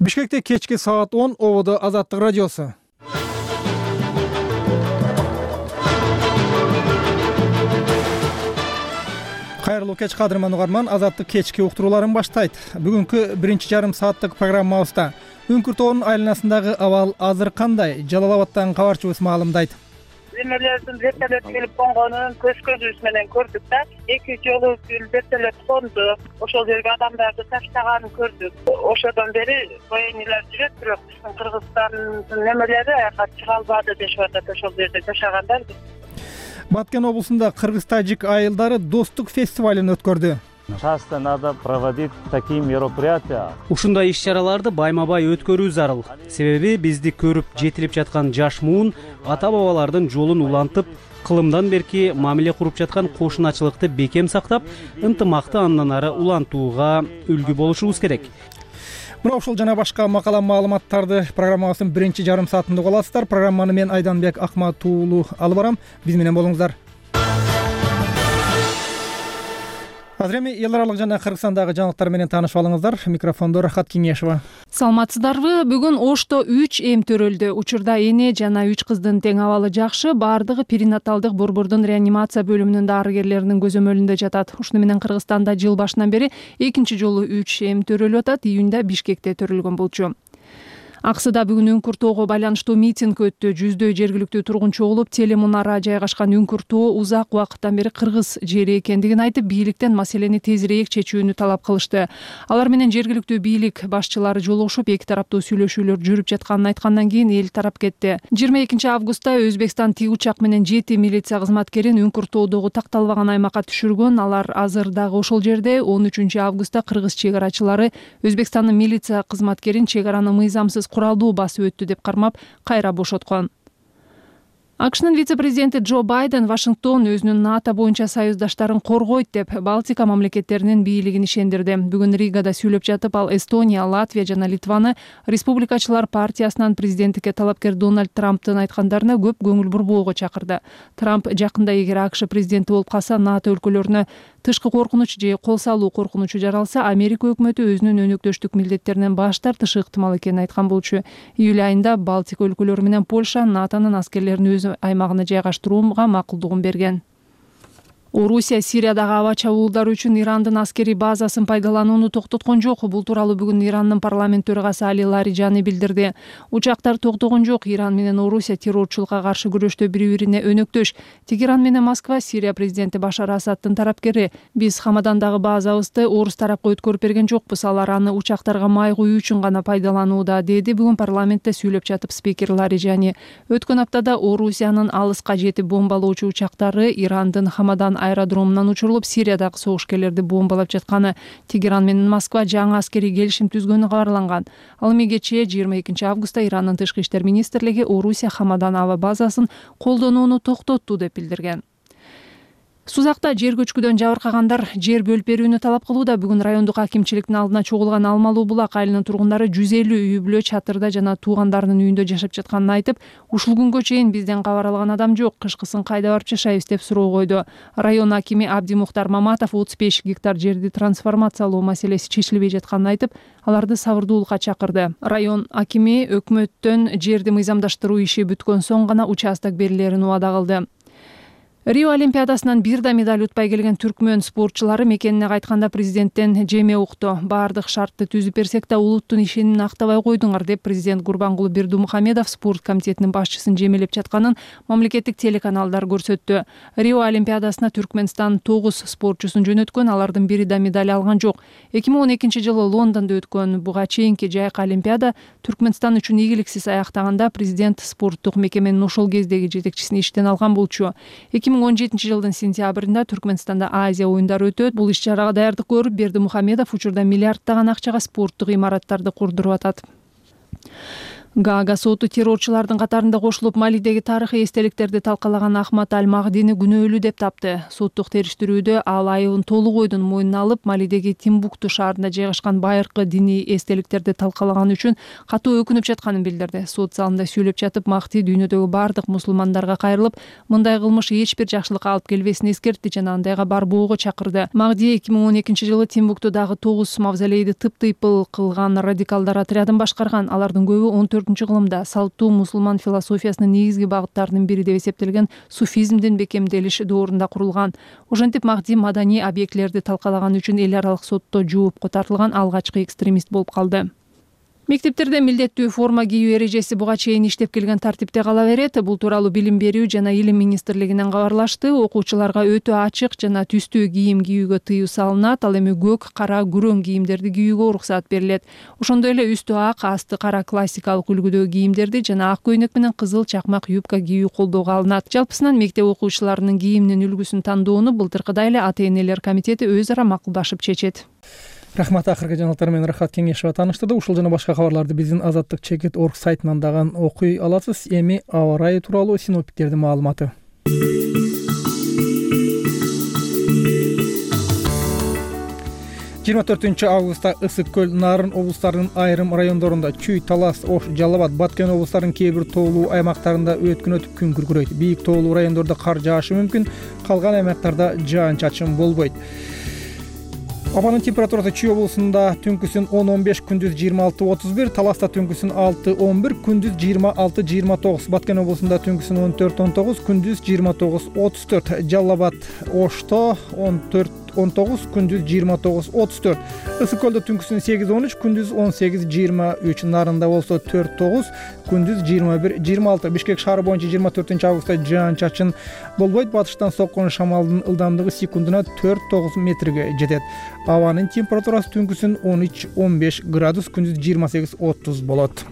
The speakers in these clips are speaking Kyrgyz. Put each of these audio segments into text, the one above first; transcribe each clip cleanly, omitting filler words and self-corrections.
Бишкекте кечки саат 10 ободо Азаттык радиосу. Кайрылуу кеч кадырман угарман, Азаттык кечки уктурууларын баштайт. Бүгүнкү биринчи жарым сааттык программабызда Үңкүр тоонун айланасындагы абал азыр кандай? Жалал Абадтан кабарчыбыз маалымдайт. Эмелердин вертолет келип конгонун көзүбүз менен көрдүк да. 2 жолу вертолет конду. Ошол жерге адамдарды таштаганын көрдүк. Ошодон бери военныйлар жүрөт, бирок биздин Кыргызстандын немелери аяка чыга албады дешип атат, ошол жерде жашагандар. Баткен облусунда кыргыз-тажик айылдары достук фестивалын өткөрдү. Часто надо проводить такие мероприятия. Ушундай иш-чараларды байма-бай өткөрүү зарыл. Себеби бизди көрүп жетилип жаткан жаш муун ата-бабалардын жолун улантып, кылымдан берки мамиле куруп жаткан кошуначылыкты бекем сактап, ынтымакты андан ары улантууга үлгү болушубуз керек. Мына ушул жана башка макала маалыматтарды программабыздын биринчи жарым саатында уга аласыздар. Программаны мен Айданбек Акматуулу алып барам. Биз менен болуңуздар. Азыр эми эл аралык жана Кыргызстандагы жаңылыктар менен таанышып алыңыздар. Микрофондо Рахат Кеңешова. Саламатсыздарбы? Бүгүн Ошто 3 эм төрөлдү. Учурда эне жана 3 кыздын тең абалы жакшы. Бардыгы перинаталдык борбордун реанимация бөлүмүнүн дарыгерлеринин көзөмөлүндө жатат. Ушуну менен Кыргызстанда жыл башынан бери экинчи жолу 3 эм төрөлүп атат. Июнда Бишкекте төрөлгөн болчу. Аксыда бүгүн Үңкүр тоого байланыштуу митинг өттү. Жүздөй жергиликтүү тургунчу болуп, телемунара жайгашкан Үңкүр тоо узак убакыттан бери кыргыз жери экендигин айтып, бийликтен маселени тезирээк чечүүнү талап кылышты. Алар менен жергиликтүү бийлик башчылары жолугушуп, эки тараптуу сүйлөшүүлөр жүрүп жатканын айткандан кийин эл тарап кетти. 22 августта Өзбекстан тик учак менен 7 милиция кызматкерин Үңкүр тоодогу такталбаган аймакка түшүргөн. Алар азыр дагы ошол жерде. 13 августта кыргыз чек арачылары Өзбекстандын милиция кызматкерин чек араны мыйзамсыз куралдуу басып өттү деп кармап, кайра бошоткон. АКШнын вице-президенти Джо Байден Вашингтон өзүнүн НАТО боюнча союздаштарын коргойт деп Балтика мамлекеттеринин бийлигин ишендирди. Бүгүн Ригада сүйлөп жатып, ал Эстония, Латвия жана Литваны Республикачылар партиясынан президенттикке талапкер Дональд Трамптын айткандарына көп көңүл бурбоого чакырды. Трамп жакында эгер АКШ президенти болуп калса, НАТО өлкөлөрүнө тышкы коркунуч же кол салуу коркунучу жаралса, Америка өкмөтү өзүнүн өнөктөштүк милдеттеринен баш тартышы ыктымал экенин айткан болчу. Июль айында Балтика өлкөлөрү менен Польша НАТОнун аскерлерин өз аймагына жайгаштырууга макулдугун берген. Орусия Сириядагы аба чабуулдары үчүн Ирандын аскери базасын пайдаланууну токтоткон жок. Бул тууралуу бүгүн Ирандын парламент төрагасы Али Лариджани билдирди. Учактар токтогон жок. Иран менен Орусия террорчулукка каршы күрөштө бири-бирине өнөктөш. Тегеран менен Москва Сирия президенти Башар Асадтын тарапкери. Биз Хамадандагы базабызды орус тарапка өткөрүп берген жокпуз. Алар аны учактарга май куюу үчүн гана пайдаланууда, деди бүгүн парламентте сүйлөп жатып спикер Лариджани. Өткөн аптада Орусиянын алыска жетип бомбалоочу учактары Ирандын Хамадан аэродромунан учурулуп, Сириядагы согушкерлерди бомбалап жатканы. Тегеран менен Москва жаңы аскерий келишим түзгөнү кабарланган. Ал эми кечээ 22 августта Ирандын тышкы иштер министрлиги Орусия Хамадан аба базасын колдонууну токтотту деп билдирген. Сузакта жер көчкүдөн жабыркагандар жер бөлүп берүүнү талап кылууда. Бүгүн райондук акимчиликтин алдына чогулган Алмалуу булак айылынын тургундары 150 үй бүлө чатырда жана туугандарынын үйүндө жашап жатканын айтып, ушул күнгө чейин бизден кабар алган адам жок, кышкысын кайда барып жашайбыз деп суроо койду. Район акими Абдимухтар Маматов 35 гектар жерди трансформациялоо маселеси чечилбей жатканын айтып, аларды сабырдуулукка чакырды. Район акими өкмөттөн жерди мыйзамдаштыруу иши бүткөн соң гана участок берилерин убада кылды. Рио Олимпиадасынан бир да медаль утпай келген түркмөн спортчулары мекенине кайтканда президенттен жеме укту. Бардык шартты түзүп берсек да улуттун ишенимин актабай койдуңар деп президент Гурбангулы Бердумухамедов спорт комитетинин башчысын жемелеп жатканын мамлекеттик телеканалдар көрсөттү. Рио Олимпиадасына Түркмөнстан 9 спортчусун жөнөткөн, алардын бири да медаль алган жок. 2012 жылы Лондондо өткөн буга чейинки жайкы Олимпиада Түркмөнстан үчүн ийгиликсиз аяктаганда президент спорттук мекеменин ошол кездеги жетекчисин иштен алган болчу. 2017 жылдын сентябрында Түркмөнстанда Азия оюндары өтөт. Бул иш-чарага даярдык көрүп, Бердимухамедов учурда миллиарддаган акчага спорттук имараттарды курдуруп атат. Гаага соту террорчулардын катарында кошулуп Малидеги тарыхый эстеликтерди талкалаган Ахмад Аль-Махдини күнөөлүү деп тапты. Соттук териштирүүдө ал айыбын толук ойдон мойнуна алып, Малидеги Тимбукту шаарында жайгашкан байыркы диний эстеликтерди талкалаган үчүн катуу өкүнүп жатканын билдирди. Сот залында сүйлөп жатып, Махди дүйнөдөгү бардык мусулмандарга кайрылып, мындай кылмыш эч бир жакшылыкка алып келбесин эскертти жана андайга барбоого чакырды. Махди 2012-жылы Тимбуктудагы 9 мавзолейди тыптыйпыл кылган радикалдар отрядын башкарган. Алардын көбү 14-кылымда салттуу мусулман философиясынын негизги багыттарынын бири деп эсептелген суфизмдин бекемделиш доорунда курулган. Ошентип Махди маданий объектилерди талкалаган үчүн эл аралык сотто жоопко тартылган алгачкы экстремист болуп калды. Мектептерде милдеттүү форма кийүү эрежеси буга чейин иштеп келген тартипте кала берет. Бул тууралуу Билим берүү жана Илим министрлигинен кабарлашты. Окуучуларга өтө ачык жана түстүү кийим кийүүгө тыюу салынат. Ал эми көк, кара, күрөң кийимдерди кийүүгө уруксат берилет. Ошондой эле үстү ак, асты кара классикалык үлгүдөгү кийимдерди жана ак көйнөк менен кызыл чакмак юбка кийүү колдоого алынат. Жалпысынан мектеп окуучуларынын кийиминин үлгүсүн тандоону былтыркыдай эле ата-энелер комитети өз ара макулдашып чечет. Рахмат, акыркы жаңылыктар менен Рахат Кеңешова тааныштырды. Ушул жана башка кабарларды биздин azattik.org сайтынан дагы окуй аласыз. Эми аба ырайы тууралуу синоптиктердин маалыматы. 24 августта Ысык көл, Нарын облустарынын айрым райондорунда, Чүй, Талас, Ош, Жалал Абад, Баткен облустарынын кээ бир тоолуу аймактарында өткөн өтүп күн күркүрөйт. Бийик тоолуу райондордо кар жаашы мүмкүн, калган аймактарда жаан-чачын болбойт. Абанын температурасы Чүй облусунда түнкүсүн 10-15, күндүз 26-31, Таласта түнкүсүн 6-11, күндүз 26-29, Баткен облусунда түнкүсүн 14-19, күндүз 29-34, Жалал Абад, Ошто 14-19, күндүз 29-34, Ысык көлдө түнкүсүн 8-13, күндүз 18-23, Нарында болсо 4-9, күндүз 21-26, Бишкек шаары боюнча 24 августта жаан-чачын болбойт. Батыштан соккон шамалдын ылдамдыгы секундуна 4-9 метрге жетет. Абанын температурасы түнкүсүн 13-15 градус, күндүз 28-30 болот.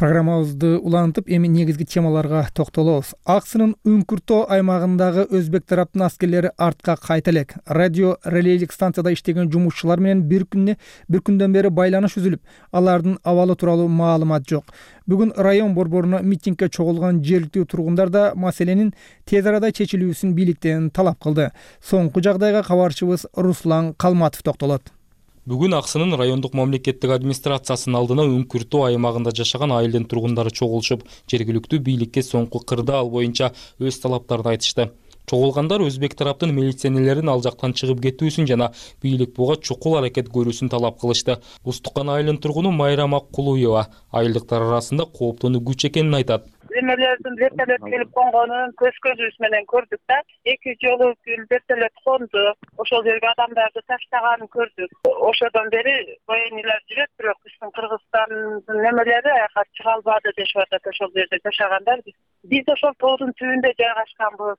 Программабызды улантып, эми негизги темаларга токтолобуз. Аксынын Үңкүртөө аймагындагы өзбек тараптын аскерлери артка кайта элек. Радио релейлик станцияда иштеген жумушчулар менен бир күндөн бери байланыш үзүлүп, алардын абалы тууралуу маалымат жок. Бүгүн район борборуна митингге чогулган жергиликтүү тургундар да маселенин тез арада чечилүүсүн бийликтен талап кылды. Соңку жагдайга кабарчыбыз Руслан Калматов токтолот. Бүгүн Аксынын райондук мамлекеттик администрациясынын алдына Үңкүртөө аймагында жашаган айылдын тургундары чогулушуп, жергиликтүү бийликке соңку кырдаал боюнча өз талаптарын айтышты. Чогулгандар өзбек тараптын милиционерлерин ал жактан чыгып кетүүсүн жана бийлик буга чукул аракет көрүүсүн талап кылышты. Устукан айылынын тургуну Майрам Аккулуева айылдыктар арасында кооптонуу күч экенин айтат. Эмелердин вертолет келип конгонун көзүбүз менен көрдүк да. 2 жолу вертолет конду. Ошол жерге адамдарды таштаганын көрдүк. Ошодон бери военныйлар жүрөт, бирок биздин Кыргызстандын немелери аяка чыга албады дешип атат. Ошол жерде жашагандар биз ошол тоодун түбүндө жайгашканбыз.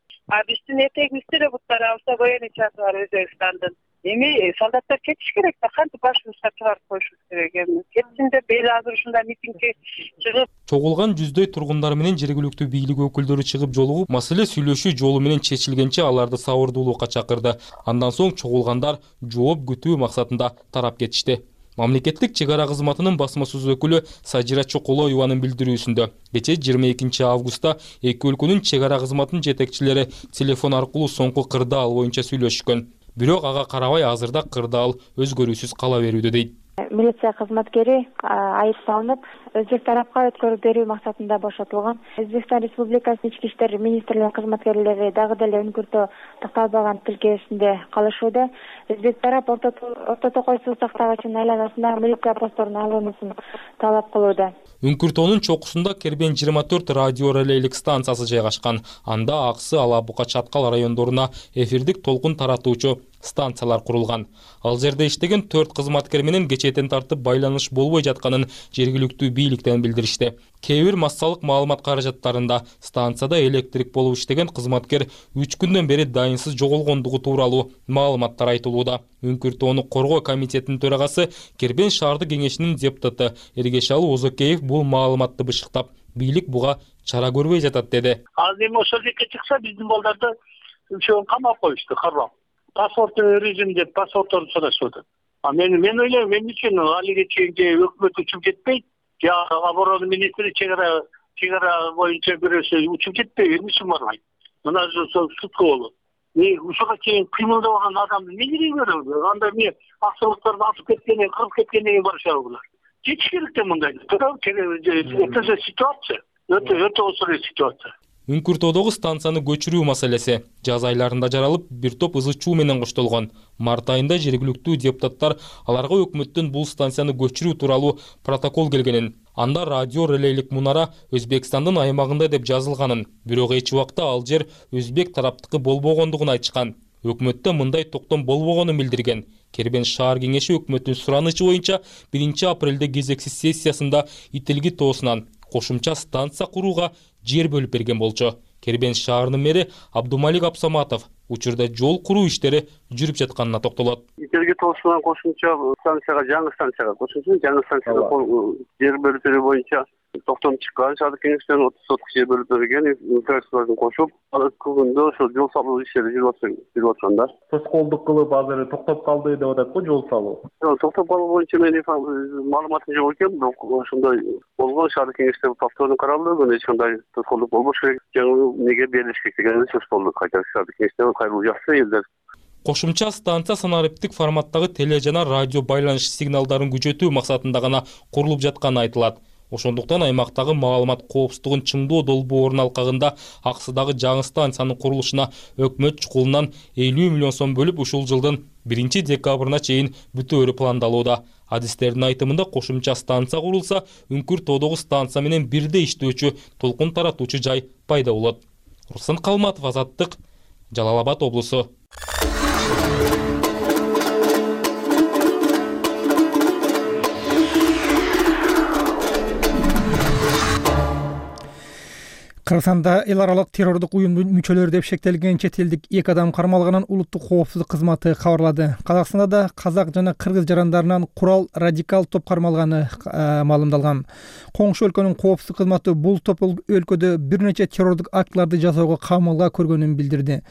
Биздин этегибизде эле буттарыбызда военный чаты бар Өзбекстандын. Эми солдаттар кетиш керек да, кантип башыбызга чыгарып коюшубуз керек эми. Кетсин деп эл азыр ушундай митингге чыгып. Чогулган жүздөй тургундар менен жергиликтүү бийлик өкүлдөрү чыгып жолугуп, маселе сүйлөшүү жолу менен чечилгенче аларды сабырдуулукка чакырды. Андан соң чогулгандар жооп күтүү максатында тарап кетишти. Мамлекеттик чек ара кызматынын басма сөз өкүлү Сажира Чоколоеванын билдирүүсүндө кечээ 22 августта эки өлкөнүн чек ара кызматынын жетекчилери телефон аркылуу соңку кырдаал боюнча сүйлөшкөн. Бирок ага карабай азырда кырдаал өзгөрүүсүз кала берүүдө дейт. Милиция кызматкери айып салынып, өзбек тарапка өткөрүп берүү максатында бошотулган. Өзбекстан Республикасынын ички иштер министрлигинин кызматкерлери дагы деле Үңкүртөө такталбаган тилкесинде калышууда. Өзбек тарап Орто Токой суу сактагычынын айланасына милиция постторун алуусун талап кылууда. Үңкүртөөнүн чокусунда Кербен 24 радио релейлик станциясы жайгашкан. Анда Аксы, Алабука, Чаткал райондоруна эфирдик толкун таратуучу станциялар курулган. Ал жерде иштеген 4 кызматкер менен кечээден тартып байланыш болбой жатканын жергиликтүү бийликтен билдиришти. Кээ бир массалык маалымат каражаттарында станцияда электрик болуп иштеген кызматкер 3 күндөн бери дайынсыз жоголгондугу тууралуу маалыматтар айтылууда. Үңкүртөөну коргоо комитетинин төрагасы Кербен шаардык кеңешинин депутаты Эргешалы Озокеев бул маалыматты бышыктап, бийлик буга чара көрбөй жатат деди. Азыр эми ошол жакка чыкса биздин балдарды үчөөнү камап коюшту, карап. паспорттун режим деп паспортторду сурашып атат. Мен ойлойм, мен үчүн алиге чейин өкмөт учуп жетпейт, оборона министри чегара боюнча бирөөсү учуп жетпейби, эмне үчүн барбайт? Мына сутка болот. Ушуга чейин кыймылдабаган адамды эмне кереги бар? Анда эмне аксылыктарды атып кеткенден, кырып кеткенден кийин барышабы булар? Жетиш керек да мындай. Это ситуация. Өтө осур ситуация. Үңкүр тоодогу станцияны көчүрүү маселеси жаз айларында жаралып, бир топ ызы чуу менен коштолгон. Март айында жергиликтүү депутаттар аларга өкмөттөн бул станцияны көчүрүү тууралуу протокол келгенин, анда радио релейлик мунара Өзбекстандын аймагында деп жазылганын, бирок эч убакта ал жер өзбек тараптыкы болбогондугун айтышкан. Өкмөттө мындай токтом болбогонун билдирген. Кербен шаар кеңеши өкмөттүн суранычы боюнча 1 апрелде кезексиз сессиясында Ителги тоосунан кошумча станция курууга жер бөлүп берген болчу. Кербен шаарынын мэри Абдумалик Абсаматов учурда жол куруу иштери жүрүп жатканына токтолот. Ителги тоосунан кошумча станцияга, жаңы станцияга жер бөлүп берүү боюнча токтом чыккан. Шаардык кеңештен 30 соток жер бөлүп берген, инфраструктураны кошуп, күндө ошо жол салуу иштери жүрүп атканда. Тоскоолдук кылып азыр токтоп калды деп атат го жол салуу. Токтоп калуу боюнча мен маалыматым жок экен, бирок ошондой болгон. Шаардык кеңеште повторно каралды, эч кандай тоскоолдук болбош керек. Жаңы неге берилиш керек деген сөз болду. Кайта шаардык кеңеште кайрылуу жакшы элдер. Кошумча станция санариптик форматтагы теле жана радио байланыш сигналдарын күчөтүү максатында гана курулуп жатканы айтылат. Ошондуктан аймактагы маалымат коопсуздугун чыңдоо долбоорунун алкагында Аксыдагы жаңы станциянын курулушуна өкмөт чукулунан 50 миллион сом бөлүп ушул жылдын 1 декабрына чейин бүтөөрү пландалууда. Адистердин айтымында кошумча станция курулса, Үңкүр тоодогу станция менен бирдей иштөөчү толкун таратуучу жай пайда болот. Руслан Калматов, Азаттык, Жалал Абад облусу. Кыргызстанда эл аралык террордук уюмдун мүчөлөрү деп шектелген чет элдик 2 адам кармалганын улуттук коопсуздук кызматы кабарлады. Казакстанда да казак жана кыргыз жарандарынан курал радикал топ кармалганы маалымдалган. Коңшу өлкөнүн коопсуздук кызматы бул топ өлкөдө бир нече террордук актыларды жасоого камылга көргөнүн билдирди.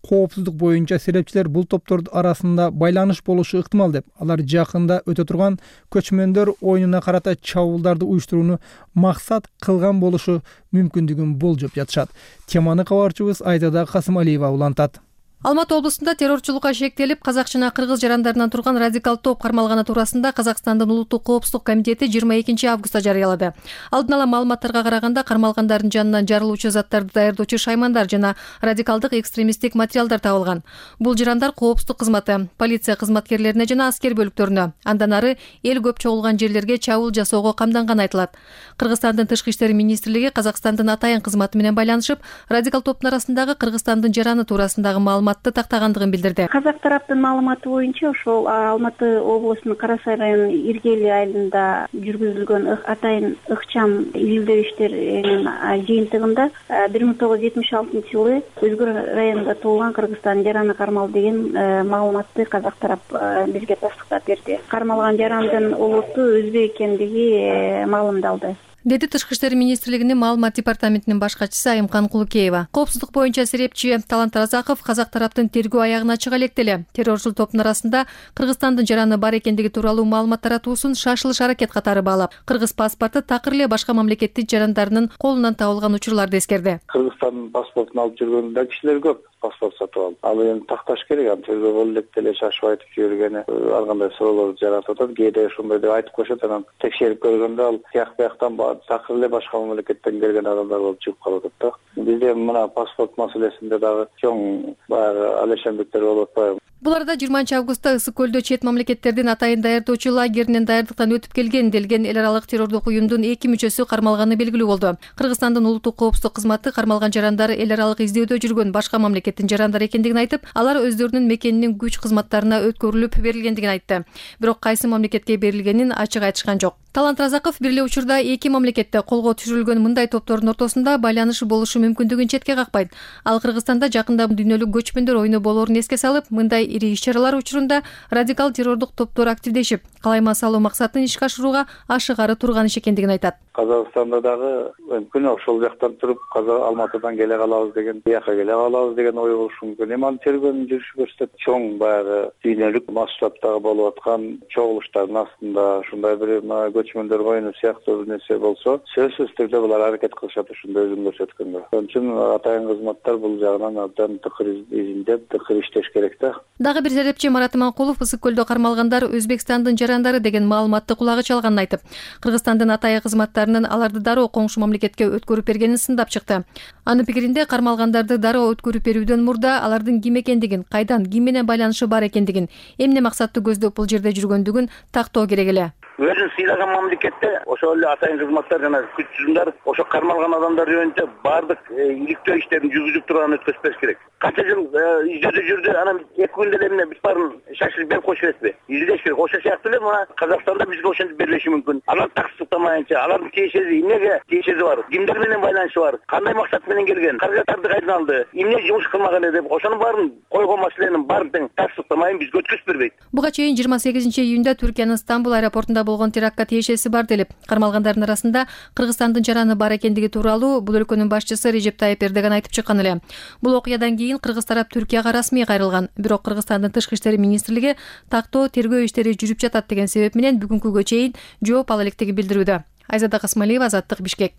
Коопсуздук боюнча серепчилер бул топтордун арасында байланыш болушу ыктымал деп, алар жакында өтө турган көчмөндөр оюнуна карата чабуулдарды уюштурууну максат кылган болушу мүмкүндүгүн болжоп жатышат. Теманы кабарчыбыз Айдада Касымалиева улантат. Алматы облусунда террорчулукка шектелип, казак жана кыргыз жарандарынан турган радикал топ кармалганы туурасында Казакстандын улуттук коопсуздук комитети 22 августта жарыялады. Алдын ала маалыматтарга караганда кармалгандардын жанынан жарылуучу заттарды даярдоочу шаймандар жана радикалдык экстремисттик материалдар табылган. Бул жарандар коопсуздук кызматы, полиция кызматкерлерине жана аскер бөлүктөрүнө, андан ары эл көп чогулган жерлерге чабуул жасоого камданганы айтылат. Кыргызстандын тышкы иштер министрлиги Казакстандын атайын кызматы менен байланышып, радикал топтун арасындагы Кыргызстандын жараны туурасындагы маалыматты тактагандыгын билдирди. Казак тараптын маалыматы боюнча ошол Алматы облусунун Кара Сай районунун Иргели айылында жүргүзүлгөн атайын ыкчам илдөө иштеринин жыйынтыгында 1976 жылы Өзгөр районунда туулган Кыргызстандын жараны кармалды деген маалыматты казак тарап бизге тастыктап берди. Кармалган жарандын улуту өзбек экендиги маалымдалды, деди Тышкы иштер министрлигинин маалымат департаментинин баш катчысы Айымкан Кулукеева. Коопсуздук боюнча серепчи Талант Разаков казак тараптын тергөө аягына чыга элек эле террорчул топтун арасында Кыргызстандын жараны бар экендиги тууралуу маалымат таратуусун шашылыш аракет катары баалап, кыргыз паспорту такыр эле башка мамлекеттин жарандарынын колунан табылган учурларды эскерди. Кыргызстандын паспортун алып жүргөн да кишилер көп. Паспорт сатып алып, ал эми такташ керек, аны тергөө болуп элек деле шашып айтып жибергени ар кандай суроолорду жаратып атат. Кээде ушундай деп айтып коюшат, анан текшерип көргөндө ал тияктан такыр эле башка мамлекеттен келген адамдар болуп чыгып калып атат да. Бизде мына паспорт маселесинде дагы чоң баягы алешендиктер болуп атпайбы? Бул арада 20 августта Ысык көлдө чет мамлекеттердин атайын даярдоочу лагеринин даярдыктан өтүп келген делген эл аралык террордук уюмдун 2 мүчөсү кармалганы белгилүү болду. Кыргызстандын улуттук коопсуздук кызматы кармалган жарандар эл аралык издөөдө жүргөн башка мамлекеттин жарандары экендигин айтып, алар өздөрүнүн мекенинин күч кызматтарына өткөрүлүп берилгендигин айтты. Бирок кайсы мамлекетке берилгенин ачык айтышкан жок. Талант Разаков бир эле учурда 2 мамлекетте колго түшүрүлгөн мындай топтордун ортосунда байланыш болушу мүмкүндүгүн четке какпайт. Ал Кыргызстанда жакында дүйнөлүк көчмөндөр оюну болоорун эске салып, мындай ири иш-чаралар учурунда радикал террордук топтор активдешип, калайма салуу максатын ишке ашырууга ашыгары турган иш экендигин айтат. Казакстанда дагы мүмкүн ошол жактан туруп Алматыдан келе калабыз деген, бияка келе калабыз деген ой болушу мүмкүн. Эми анын тергөөнүн жүрүшү көрсөтөт. Чоң баягы дүйнөлүк масштабтагы болуп аткан чогулуштардын астында ушундай бир көчмөндөр коюну сыяктуу бир нерсе болсо, сөзсүз түрдө булар аракет кылышат ушундай өзүн көрсөткөнгө. Ошон үчүн атайын кызматтар бул жагынан абдан тыкыр изиндеп, тыкыр иштеш керек да. Дагы бир серепчи Марат Иманкулов ысык көлдө кармалгандар Өзбекстандын жарандары деген маалыматты кулагы чалганын айтып, Кыргызстандын атайын кызматтарынын аларды дароо коңшу мамлекетке өткөрүп бергенин сындап чыкты. Анын пикиринде кармалгандарды дароо өткөрүп берүүдөн мурда алардын ким экендигин, кайдан, ким менен байланышы бар экендигин, эмне максатты көздөп бул жерде жүргөндүгүн тактоо керек эле. Өзүн сыйлаган мамлекетте ошол эле атайын кызматтар жана күч түзүмдөр ошо кармалган адамдар жөнүндө баардык иликтөө иштерин жүргүзүп турганын өткөзүп бериш керек. Канча жыл издөөдө жүрдү, анан 2 күндө эле эмне бүт баарын шашырып берип коюш эмеспи? Издеш керек. Ошол сыяктуу эле мына Казакстанда бизге ошентип берилиши мүмкүн. Алар таксыктамайынча, алардын тиешеси эмнеге тиешеси бар? Кимдер менен байланышы бар? Кандай максат менен келген? Каражаттарды кайдан алды? Эмне жумуш кылмаган эле деп ошонун баарын койгон маселенин баарын тең таксыктамайын бизге өткөзүп бербейт. Буга чейин 28-июнда Түркиянын Стамбул аэропортунда болгон терактка тиешеси бар делип, кармалгандардын арасында Кыргызстандын жараны бар экендиги тууралуу бул өлкөнүн башчысы Режеп Тайып Эрдоган айтып чыккан эле. Бул окуядан кийин кыргыз тарап Түркияга расмий кайрылган. Бирок Кыргызстандын тышкы иштери министрлиги тактоо тергөө иштери жүрүп жатат деген себеп менен бүгүнкүгө чейин жооп ала электигин билдирүүдө. Айзада Касмалиева, Азаттык, Бишкек.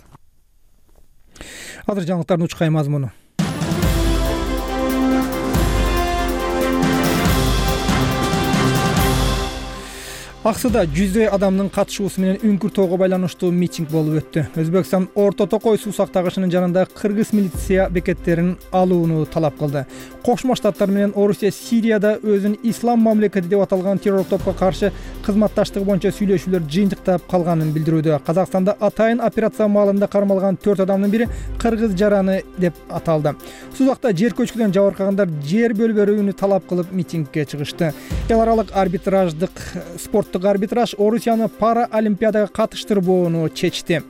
Азыр жаңылыктардын учкай мазмуну. Аксыда жүздөй адамдын катышуусу менен Үңкүр тоого байланыштуу митинг болуп өттү. Өзбекстан Орто Токой суу сактагычынын жанында кыргыз милиция бекеттерин алууну талап кылды. Кошмо Штаттар менен Орусия Сирияда өзүн ислам мамлекети деп аталган террор топко каршы кызматташтыгы боюнча сүйлөшүүлөр жыйынтыктап калганын билдирүүдө. Казакстанда атайын операция маалында кармалган 4 адамдын бири кыргыз жараны деп аталды. Сузакта жер көчкүдөн жабыркагандар жер бөлүп берүүнү талап кылып митингге чыгышты. Эл аралык арбитраждык спорттук арбитраж Орусияны пара олимпиадага катыштырбоону чечти.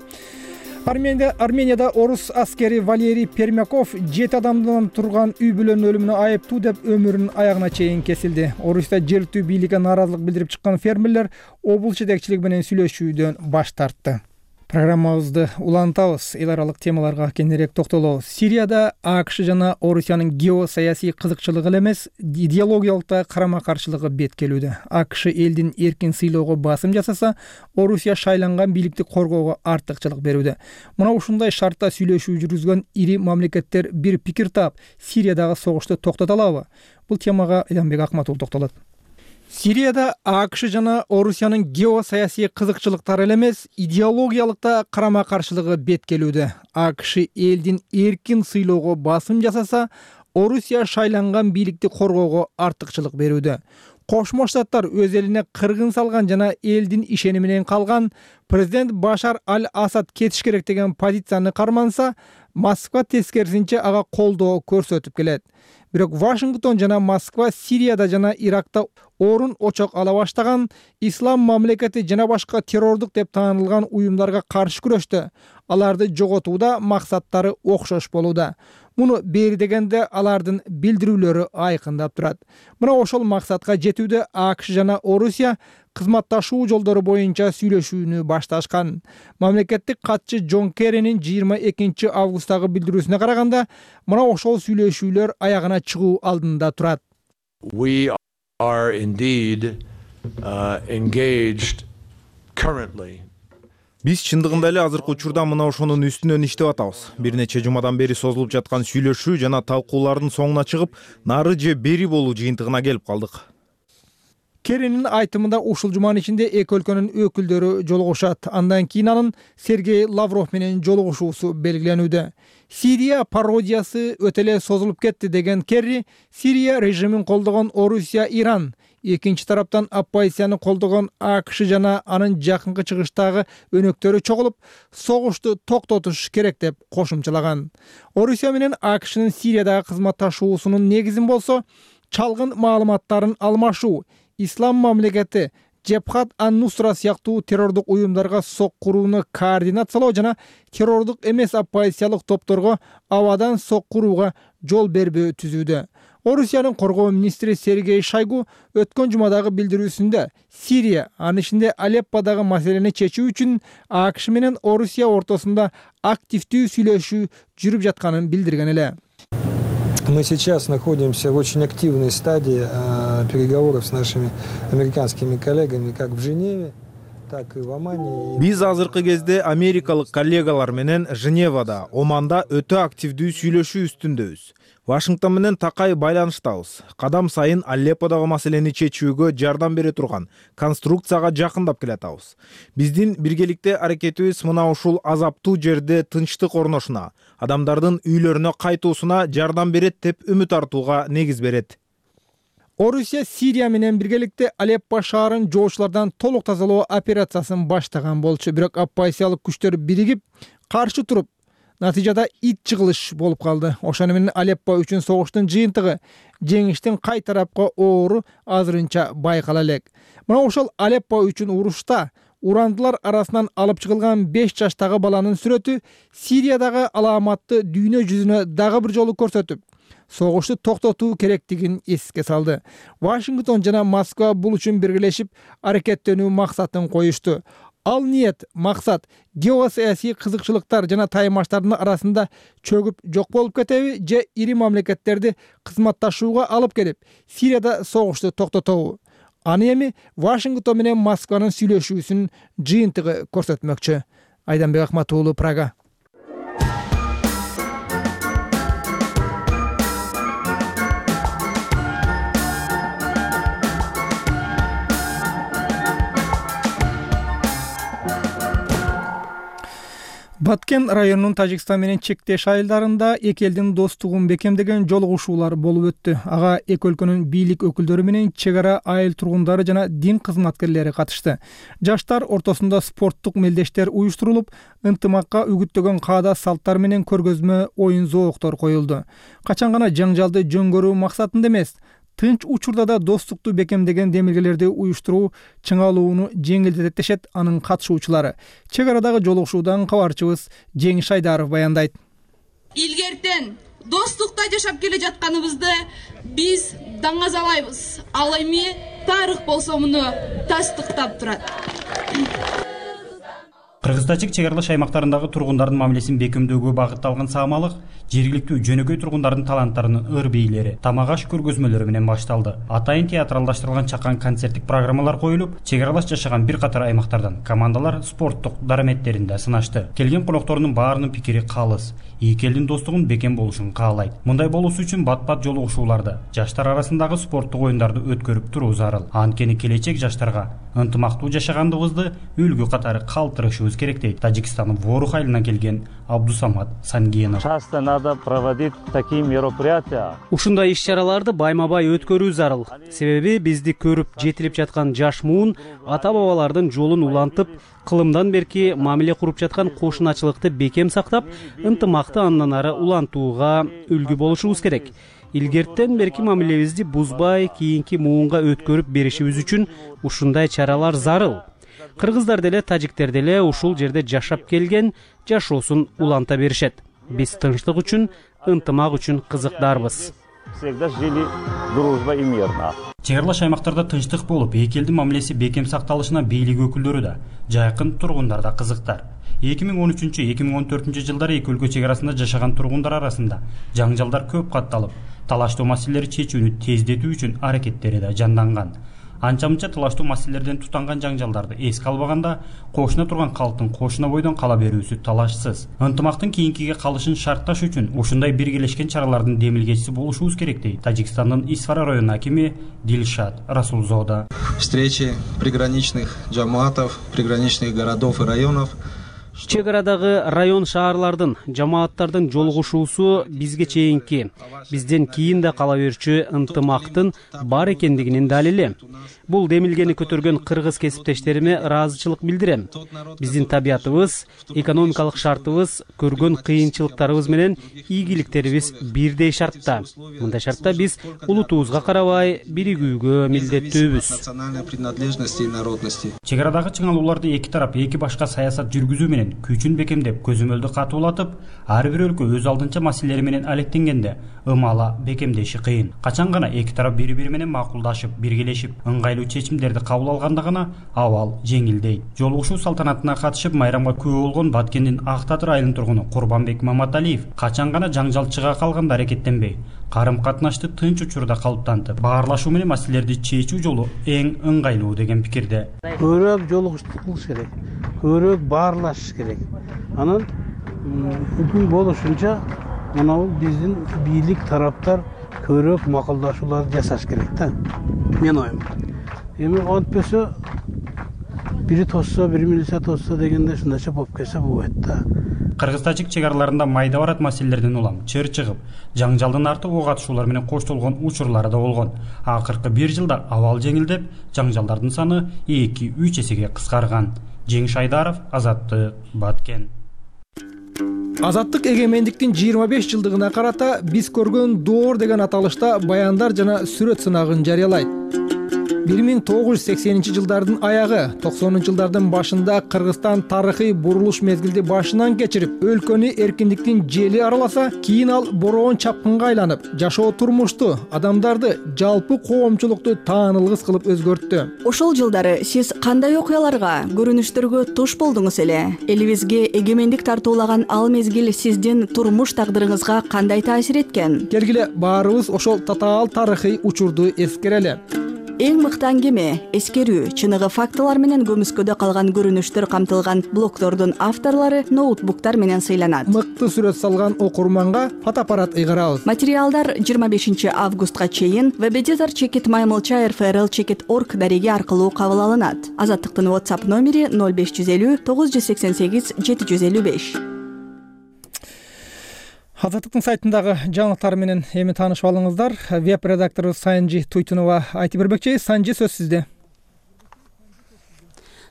Арменияда орус аскери Валерий Пермяков 7 адамдан турган үй бүлөнүн өлүмүнө айыптуу деп өмүрүнүн аягына чейин кесилди. Орусияда жергиликтүү бийликке нааразылык билдирип чыккан фермерлер облус жетекчилиги менен сүйлөшүүдөн баш тартты. Программабызды улантабыз. Эл аралык темаларга кененирээк токтолобуз. Сирияда АКШ жана Орусиянын геосаясий кызыкчылыгы эле эмес, идеологиялык да карама-каршылыгы беткелүүдө. АКШ элдин эркин сыйлоого басым жасаса, Орусия шайланган бийликти коргоого артыкчылык берүүдө. Мына ушундай шартта сүйлөшүү жүргүзгөн ири мамлекеттер бир пикир таап, Сириядагы согушту токтото алабы? Бул темага Элянбек Акматов токтолот. Сирияда АКШ жана Орусиянын геосаясий кызыкчылыктары эле эмес, идеологиялык да карама-каршылыгы беткелүүдө. АКШ элдин эркин сыйлоого басым жасаса, Орусия шайланган бийликти коргоого артыкчылык берүүдө. Кошмо Штаттар өз элине кыргын салган жана элдин ишеними менен калган президент Башар аль-Асад кетиш керек деген позицияны карманса, Москва тескерисинче ага колдоо көрсөтүп келет. Бирок Вашингтон жана Москва Сирияда жана Иракта орун очок ала баштаган ислам мамлекети жана башка террордук деп таанылган уюмдарга каршы күрөштө. Аларды жоготууда максаттары окшош болууда. Муну бери дегенде алардын билдирүүлөрү айкындап турат. Мына ошол максатка жетүүдө АКШ жана Орусия кызматташуу жолдору боюнча сүйлөшүүнү башташкан. Мамлекеттик катчы Джон Керринин 22 августтагы билдирүүсүнө караганда, мына ошол сүйлөшүүлөр аягына чыгуу алдында турат. We are indeed engaged currently. Биз чындыгында эле азыркы учурда мына ошонун үстүнөн иштеп атабыз. Бир нече жумадан бери созулуп жаткан сүйлөшүү жана талкуулардын соңуна чыгып, нары же бери болуу жыйынтыгына келип калдык. Керринин айтымында ушул жуманын ичинде эки өлкөнүн өкүлдөрү жолугушат. Андан кийин анын Сергей Лавров менен жолугушуусу белгиленүүдө. Сирия пародиясы өтө эле созулуп кетти деген Керри, Сирия режимин колдогон Орусия, Иран, экинчи тараптан оппозицияны колдогон АКШ жана анын жакынкы чыгыштагы өнөктөрү чогулуп, согушту токтотуш керек деп кошумчалаган. Орусия менен АКШнын Сириядагы кызматташуусунун негизин болсо, чалгын маалыматтарын алмашуу, ислам мамлекети, Джебхат ан-Нусра сыяктуу террордук уюмдарга сок курууну координациялоо жана террордук эмес оппозициялык топторго абадан сок курууга жол бербөө түзүүдө. Орусиянын коргоо министри Сергей Шойгу өткөн жумадагы билдирүүсүндө Сирия, анын ичинде Алепподагы маселени чечүү үчүн АКШ менен Орусия ортосунда активдүү сүйлөшүү жүрүп жатканын билдирген эле. Мы сейчас находимся в очень активной стадии переговоров с нашими американскими коллегами как в Женеве, так и в Омане. Биз азыркы кезде америкалык коллегалар менен Женевада, Оманда өтө активдүү сүйлөшүү үстүндөбүз. Вашингтон менен такай байланыштабыз. Кадам сайын Алепподагы маселени чечүүгө жардам бере турган конструкцияга жакындап келатабыз. Биздин биргеликте аракетибиз мына ушул азаптуу жерде тынчтык орношуна, адамдардын үйлөрүнө кайтуусуна жардам берет деп үмүт артууга негиз берет. Орусия Сирия менен биргеликте Алеппо шаарын жоочулардан толук тазалоо операциясын баштаган болчу, бирок оппозициялык күчтөр биригип каршы туруп, натыйжада ит жыгылыш болуп калды. Ошону менен Алеппо үчүн согуштун жыйынтыгы, жеңиштин кай тарапка оору азырынча байкала элек. Мына ошол Алеппо үчүн урушта урандылар арасынан алып чыгылган 5 жаштагы баланын сүрөтү Сириядагы алааматты дүйнө жүзүнө дагы бир жолу көрсөтүп, согушту токтотуу керектигин эске салды. Вашингтон жана Москва бул үчүн биргелешип аракеттенүү максатын коюшту. Ал ниет, максат геосаясий кызыкчылыктар жана таймаштардын арасында чөгүп жок болуп кетеби же ири мамлекеттерди кызматташууга алып келип, Сирияда согушту токтотобу? Аны эми Вашингтон менен Москванын сүйлөшүүсүнүн жыйынтыгы көрсөтмөкчү. Айданбек Ахмат уулу, Прага. Баткен районунун Тажикстан менен чектеш айылдарында эки элдин достугун бекемдеген жолугушуулар болуп өттү. Ага эки өлкөнүн бийлик өкүлдөрү менен чек ара айыл тургундары жана дин кызматкерлери катышты. Жаштар ортосунда спорттук мелдештер уюштурулуп, ынтымакка үгүттөгөн каада салттар менен көргөзмө оюн зооктор коюлду. Качан гана жаңжалды жөнгөрүү максатында эмес, тынч учурда да достукту бекемдеген демилгелерди уюштуруу чыңалууну жеңилдетет дешет анын катышуучулары. Чек арадагы жолугушуудан кабарчыбыз Жеңиш Айдаров баяндайт. Илгертен достукта жашап келе жатканыбызды биз даңазалайбыз. Ал эми тарых болсо муну тастыктап турат. Кыргыз-тажик чек аралаш аймактарындагы тургундардын мамилесин бекемдөөгө багытталган саамалык жергиликтүү жөнөкөй тургундардын таланттарынын ыр бийлери, тамак-аш көргөзмөлөрү менен башталды. Атайын театралдаштырылган чакан концерттик программалар коюлуп, чек аралаш жашаган бир катар аймактардан командалар спорттук дараметтеринде сынашты. Келген коноктордун баарынын пикири калыс. Эки элдин достугун бекем болушун каалайт. Мындай болуусу үчүн бат-бат жолугушууларды, жаштар арасындагы спорттук оюндарды өткөрүп туруу зарыл. Анткени келечек жаштарга ынтымактуу жашагандыгыбызды үлгү катары калтырышыбыз керек дейт Тажикстандын Ворух айылынан келген Абдусамат Сангенов. Часто надо проводить такие мероприятия. Ушундай иш-чараларды байма-бай өткөрүү зарыл. Себеби бизди көрүп жетилип жаткан жаш муун ата-бабалардын жолун улантып, кылымдан берки мамиле куруп жаткан кошуначылыкты бекем сактап, ынтымакты андан ары улантууга үлгү болушубуз керек. Илгерттен берки мамилебизди бузбай, кийинки муунга өткөрүп беришибиз үчүн ушундай чаралар зарыл. Кыргыздар деле, тажиктер деле ушул жерде жашап келген, жашоосун уланта беришет. Биз тынчтык үчүн, ынтымак үчүн кызыктарбыз. Всегда жили дружба и мирно. Чек аралаш аймактарда тынчтык болуп, эки элдин мамилеси бекем сакталышына бийлик өкүлдөрү да, жайкын тургундар да кызыктар. 2013-2014 жылдары эки өлкө чек арасында жашаган тургундар арасында жаңжалдар көп катталып, талаштуу маселелери чечүүнү тездетүү үчүн аракеттери да жанданган. Анча-мынча талаштуу маселелерден тутанган жаңжалдарды эске албаганда, кошуна турган калктын кошуна бойдон кала берүүсү талашсыз. Ынтымактын кийинкиге калышын шартташ үчүн ушундай биргелешкен чаралардын демилгечиси болушубуз керек дейт Тажикстандын Исфара районунун акими Дилшат Расулзода. Встречи приграничных жамаатов, приграничных городов и районов. Чек арадагы район шаарлардын, жамааттардын жолугушуусу бизге чейинки, бизден кийин да кала берчү ынтымактын бар экендигинин далили. Бул демилгени көтөргөн кыргыз кесиптештериме ыраазычылык билдирем. Биздин табиятыбыз, экономикалык шартыбыз, көргөн кыйынчылыктарыбыз менен ийгиликтерибиз бирдей шартта. Мындай шартта биз улутубузга карабай биригүүгө милдеттүүбүз. Национальной принадлежности и народности. Чек арадагы чыңалууларды эки тарап эки башка саясат жүргүзүү менен менен күчүн бекемдеп көзөмөлдү катуулатып, ар бир өлкө өз алдынча маселелери менен алектенгенде ымала бекемдеши кыйын. Качан гана эки тарап бири-бири менен макулдашып, биргелешип, ыңгайлуу чечимдерди кабыл алганда гана абал жеңилдейт. Жолугушуу салтанатына катышып майрамга күбө болгон Баткендин Ак Татыр айылынын тургуну Курбанбек Маматалиев качан гана жаңжал чыга калганда аракеттенбей, карым-катнашты тынч учурда калыптантып, баарлашуу менен маселелерди чечүү жолу эң ыңгайлуу деген пикирде. Көбүрөөк жолугуштук кылыш керек, көбүрөөк баарлашыш керек. Анан мүмкүн болушунча мына биздин бийлик тараптар көбүрөөк макулдашууларды жасаш керек да. Мен оюм. Эми антпесе бири тосса, бири милиция тосса дегенде ушундайча болуп кетсе болбойт да. Кыргыз-тажик чек араларында майда барат маселелерден улам чыр чыгып, жаңжалдын арты ок атышуулар менен коштолгон учурлары да болгон. Акыркы 1 жылда абал жеңилдеп, жаңжалдардын саны 2-3 эсеге кыскарган. Жеңиш Айдаров, Азаттык, Баткен. Азаттык эгемендиктин 25 жылдыгына карата биз көргөн доор деген аталышта баяндар жана сүрөт сынагын жарыялайт. 1980-жылдардын аягы, 90-жылдардын башында Кыргызстан тарыхый бурулуш мезгилди башынан кечирип, өлкөнү эркиндиктин жели араласа, кийин ал бороон чапкынга айланып, жашоо турмушту, адамдарды, жалпы коомчулукту таанылгыс кылып өзгөрттү. Ошол жылдары сиз кандай окуяларга, көрүнүштөргө туш болдуңуз эле? Элибизге эгемендик тартуулаган ал мезгил сиздин турмуш тагдырыңызга кандай таасир эткен? Келгиле баарыбыз ошол татаал тарыхый учурду эскерели. Эң мыкты аңгеме, эскерүү, чыныгы фактылар менен көмүскөдө калган көрүнүштөр камтылган блогдордун авторлору ноутбуктар менен сыйланат. Мыкты сүрөт салган окурманга фотоаппарат ыйгарабыз. Материалдар 25 августка чейин webeditor@mylchir.org дареги аркылуу кабыл алынат. Азаттыктын WhatsApp номери 0550 988 755. Азаттыктын сайтындагы жаңылыктар менен эми таанышып алыңыздар. Веб редактору Санжи Туйтунова айтып бермекчи. Санжи, сөз сизде.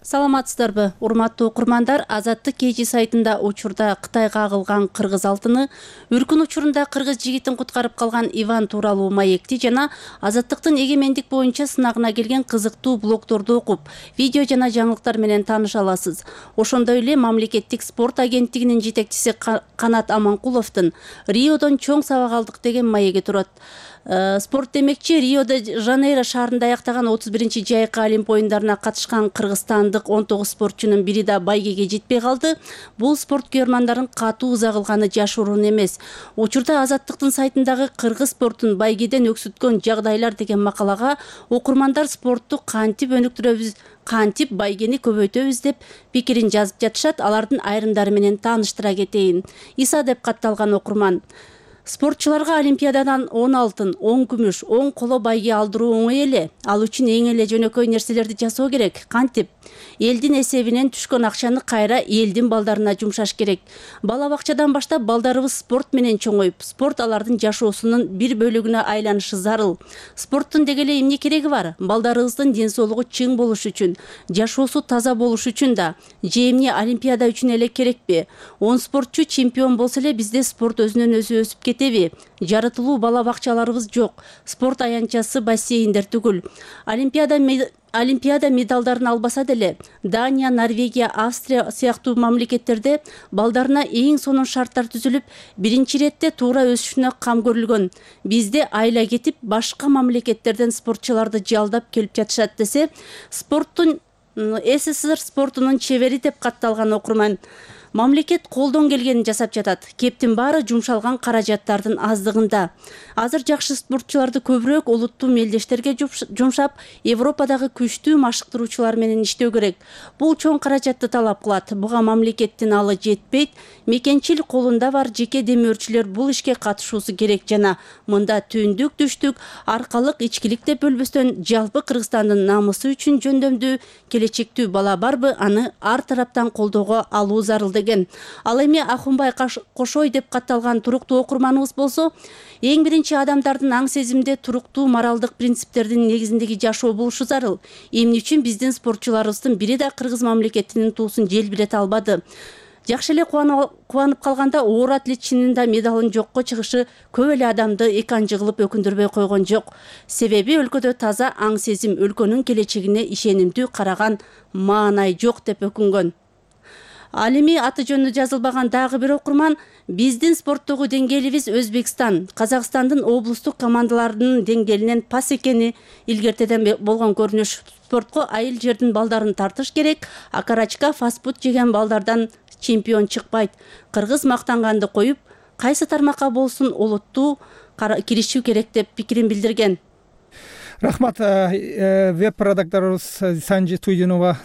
Саламатсыздарбы, урматтуу окурмандар? Азаттык кечи сайтында учурда Кытайга агылган кыргыз алтыны, үркүн учурунда кыргыз жигитин куткарып калган Иван тууралуу маекти жана азаттыктын эгемендик боюнча сынагына келген кызыктуу блогдорду окуп, видео жана жаңылыктар менен тааныша аласыз. Ошондой эле мамлекеттик спорт агенттигинин жетекчиси Канат Аманкуловдун Риодон чоң сабак алдык деген маеги турат. Спорт демекчи, Рио-де-Жанейро шаарында аяктаган 31-чи жайкы Олимп оюндарына катышкан кыргызстандык 19 спортчунун бири да байгеге жетпей калды. Бул спорт көрмандарын катуу ызагылганы жашыруун эмес. Учурда Азаттыктын сайтындагы кыргыз спортун байгеден өксүткөн жагдайлар деген макалага окурмандар спортту кантип өнүктүрөбүз, кантип байгени көбөйтөбүз деп пикирин жазып жатышат. Алардын айрымдары менен тааныштыра кетейин. Иса деп катталган окурман: спортчуларга Олимпиададан 10 алтын, 10 күмүш, 10 коло байге алдыруу оңой эле. Ал үчүн эң эле жөнөкөй нерселерди жасоо керек. Кантип? Элдин эсебинен түшкөн акчаны кайра элдин балдарына жумшаш керек. Бала бакчадан баштап балдарыбыз спорт менен чоңоюп, спорт алардын жашоосунун бир бөлүгүнө айланышы зарыл. Спорттун деги эле эмне кереги бар? Балдарыбыздын ден соолугу чың болуш үчүн, жашоосу таза болуш үчүн да. Же эмне Олимпиада үчүн эле керекпи? 10 спортчу чемпион болсо эле бизде спорт өзүнөн өзү өсүп кетеби? Жарытылуу бала бакчаларыбыз жок. Спорт аянтчасы бассейндер түгүл. Олимпиада медалдарын албаса деле Дания, Норвегия, Австрия сыяктуу мамлекеттерде балдарына эң сонун шарттар түзүлүп, биринчи иретте туура өсүшүнө кам көрүлгөн. Бизде айла кетип, башка мамлекеттерден спортчуларды жалдап келип жатышат десе, спорттун СССР спортунун чебери деп катталган окурман. Мамлекет колдон келгенин жасап жатат. Кептин баары жумшалган каражаттардын аздыгында. Азыр жакшы спортчуларды көбүрөөк улуттуу мелдештерге жумшап, Европадагы күчтүү машыктыруучулар менен иштөө керек. Бул чоң каражатты талап кылат. Буга мамлекеттин алы жетпейт. Мекенчил колунда бар жеке демөөрчүлөр бул ишке катышуусу керек жана мында түндүк, түштүк, аркалык, ичкилик деп бөлбөстөн жалпы Кыргызстандын намысы үчүн жөндөмдүү, келечектүү бала барбы, аны ар тараптан колдоого алуу зарыл деген. Ал эми Ахунбай Кошой деп катталган туруктуу окурманыбыз болсо, эң биринчи адамдардын аң сезимде туруктуу моралдык принциптердин негизиндеги жашоо болушу зарыл. Эмне үчүн биздин спортчуларыбыздын бири да кыргыз мамлекетинин туусун желбирете албады? Жакшы эле кубанып калганда оор атлет чынында медалын жокко чыгышы көп эле адамды эканжы кылып өкүндүрбөй койгон жок. Себеби өлкөдө таза аң сезим, өлкөнүн келечегине ишенимдүү караган маанай жок деп өкүнгөн. Ал эми аты жөнү жазылбаган дагы бир окурман биздин спорттогу деңгээлибиз Өзбекстан, Казакстандын облустук командаларынын деңгээлинен пас экени илгертеден болгон көрүнүш. Спортко айыл жердин балдарын тартыш керек, а карачка фастфуд жеген балдардан чемпион чыкпайт. Кыргыз мактанганды коюп, кайсы тармакка болсун олуттуу киришүү керек деп пикирин билдирген. Рахмат. Веб-редакторубуз Санжи Туйтунова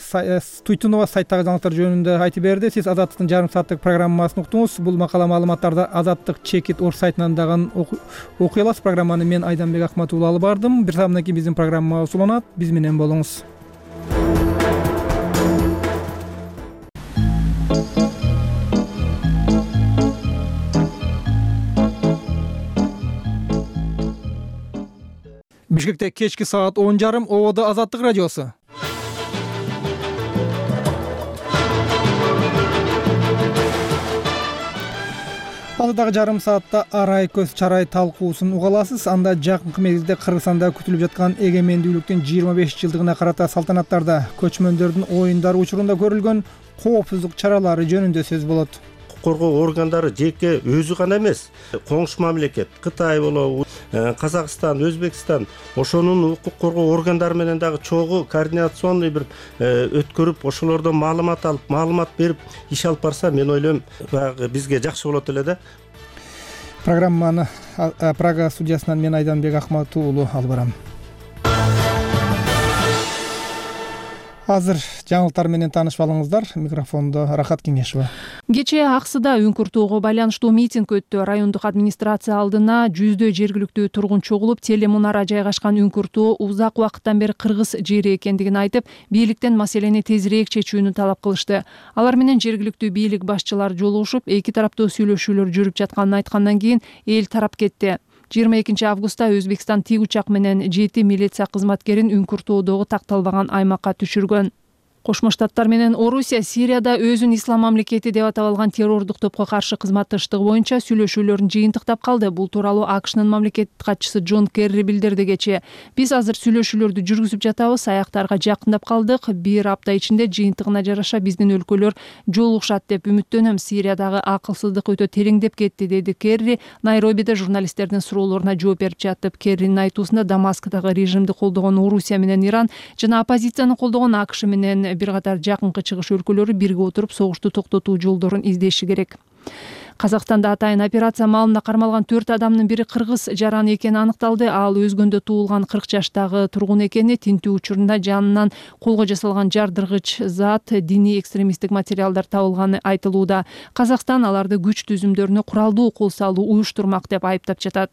сайттагы жаңылыктар жөнүндө айтып берди. Сиз Азаттыктын жарым сааттык программасын уктуңуз. Бул макала маалыматтарды Азаттык Чекит орг сайтынан дагы окуй аласыз. Программаны мен Айданбек Акматов алып бардым. Бир сааттан кийин биздин программа уланат. Биз менен болуңуз. Бишкекте кечки саат 10:30 Ободо Азаттык радиосу. Алдыдагы жарым саатта арай көз чарай талкуусун уга аласыз. Анда жакынкы мезгилде Кыргызстанда күтүлүп жаткан эгемендүүлүктүн 25 жылдыгына карата салтанаттарда көчмөндөрдүн оюндары учурунда көрүлгөн коопсуздук чаралары жөнүндө сөз болот. Коргоо органдары жеке өзү гана эмес, коңшу мамлекет Кытай болобу, Казакстан, Өзбекстан ошонун укук коргоо органдары менен дагы чогуу координационный бир өткөрүп, ошолордон маалымат берип иш алып барса, мен ойлойм, бизге жакшы болот эле да. Программаны Прага студиясынан мен Айданбек Акматов уулу алып барам. Азыр жаңылыктар менен таанышып алыңыздар. Микрофондо Рахат Кеңешова. Кечээ Аксыда үңкүртүүгө байланыштуу митинг өттү. Райондук администрация алдына жүздөй жергиликтүү тургун чогулуп, телемунара жайгашкан үңкүртүү узак убакыттан бери кыргыз жери экендигин айтып, бийликтен маселени тезирээк чечүүнү талап кылышты. Алар менен жергиликтүү бийлик башчылары жолугушуп, эки тараптуу сүйлөшүүлөр жүрүп жатканын айткандан кийин эл тарап кетти. 22 августта Өзбекстан тик учак менен 7 милиция кызматкерин үңкүртүүдөгү такталбаган аймакка түшүргөн. Кошмо Штаттар менен Орусия Сирияда өзүн ислам мамлекети деп атап алган террордук топко каршы кызматташтыгы боюнча сүйлөшүүлөрүн жыйынтыктап калды. Бул тууралуу АКШнын мамлекеттик катчысы Джон Керри билдирди кечээ. Биз азыр сүйлөшүүлөрдү жүргүзүп жатабыз, аяктарга жакындап калдык. Бир апта ичинде жыйынтыгына жараша биздин өлкөлөр жолугушат деп үмүттөнөм. Сириядагы акылсыздык өтө тереңдеп кетти, деди Керри Найробиде журналисттердин суроолоруна жооп берип жатып. Керринин айтуусунда Дамасктагы режимди колдогон Орусия менен Иран жана оппозицияны колдогон АКШ менен бир катар жакынкы чыгыш өлкөлөрү бирге отуруп согушту токтотуу жолдорун издеши керек. Казакстанда атайын операция маалында кармалган 4 адамдын бири кыргыз жараны экени аныкталды. Ал өзгөндө туулган 40 жаштагы тургун экени, тинтүү учурунда жанынан колго жасалган жардыргыч зат, диний экстремисттик материалдар табылганы айтылууда. Казакстан аларды күч түзүмдөрүнө куралдуу кол салуу уюштурмак деп айыптап жатат.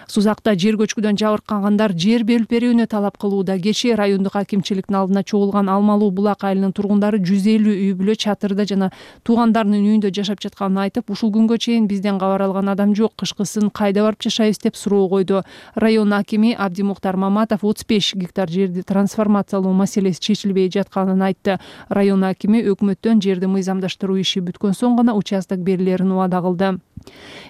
Сузакта жер көчкүдөн жабыркагандар жер бөлүп берүүнү талап кылууда. Кечээ райондук акимчиликтин алдына чогулган Алмалуу Булак айылынын тургундары 150 үй бүлө чатырда жана туугандарынын үйүндө жашап жатканын айтып, ушул күнгө чейин бизден кабар алган адам жок, кышкысын кайда барып жашайбыз деп суроо койду. Район акими Абдимухтар Маматов 35 гектар жерди трансформациялоо маселеси чечилбей жатканын айтты. Район акими өкмөттөн жерди мыйзамдаштыруу иши бүткөн соң гана участок берилерин убада кылды.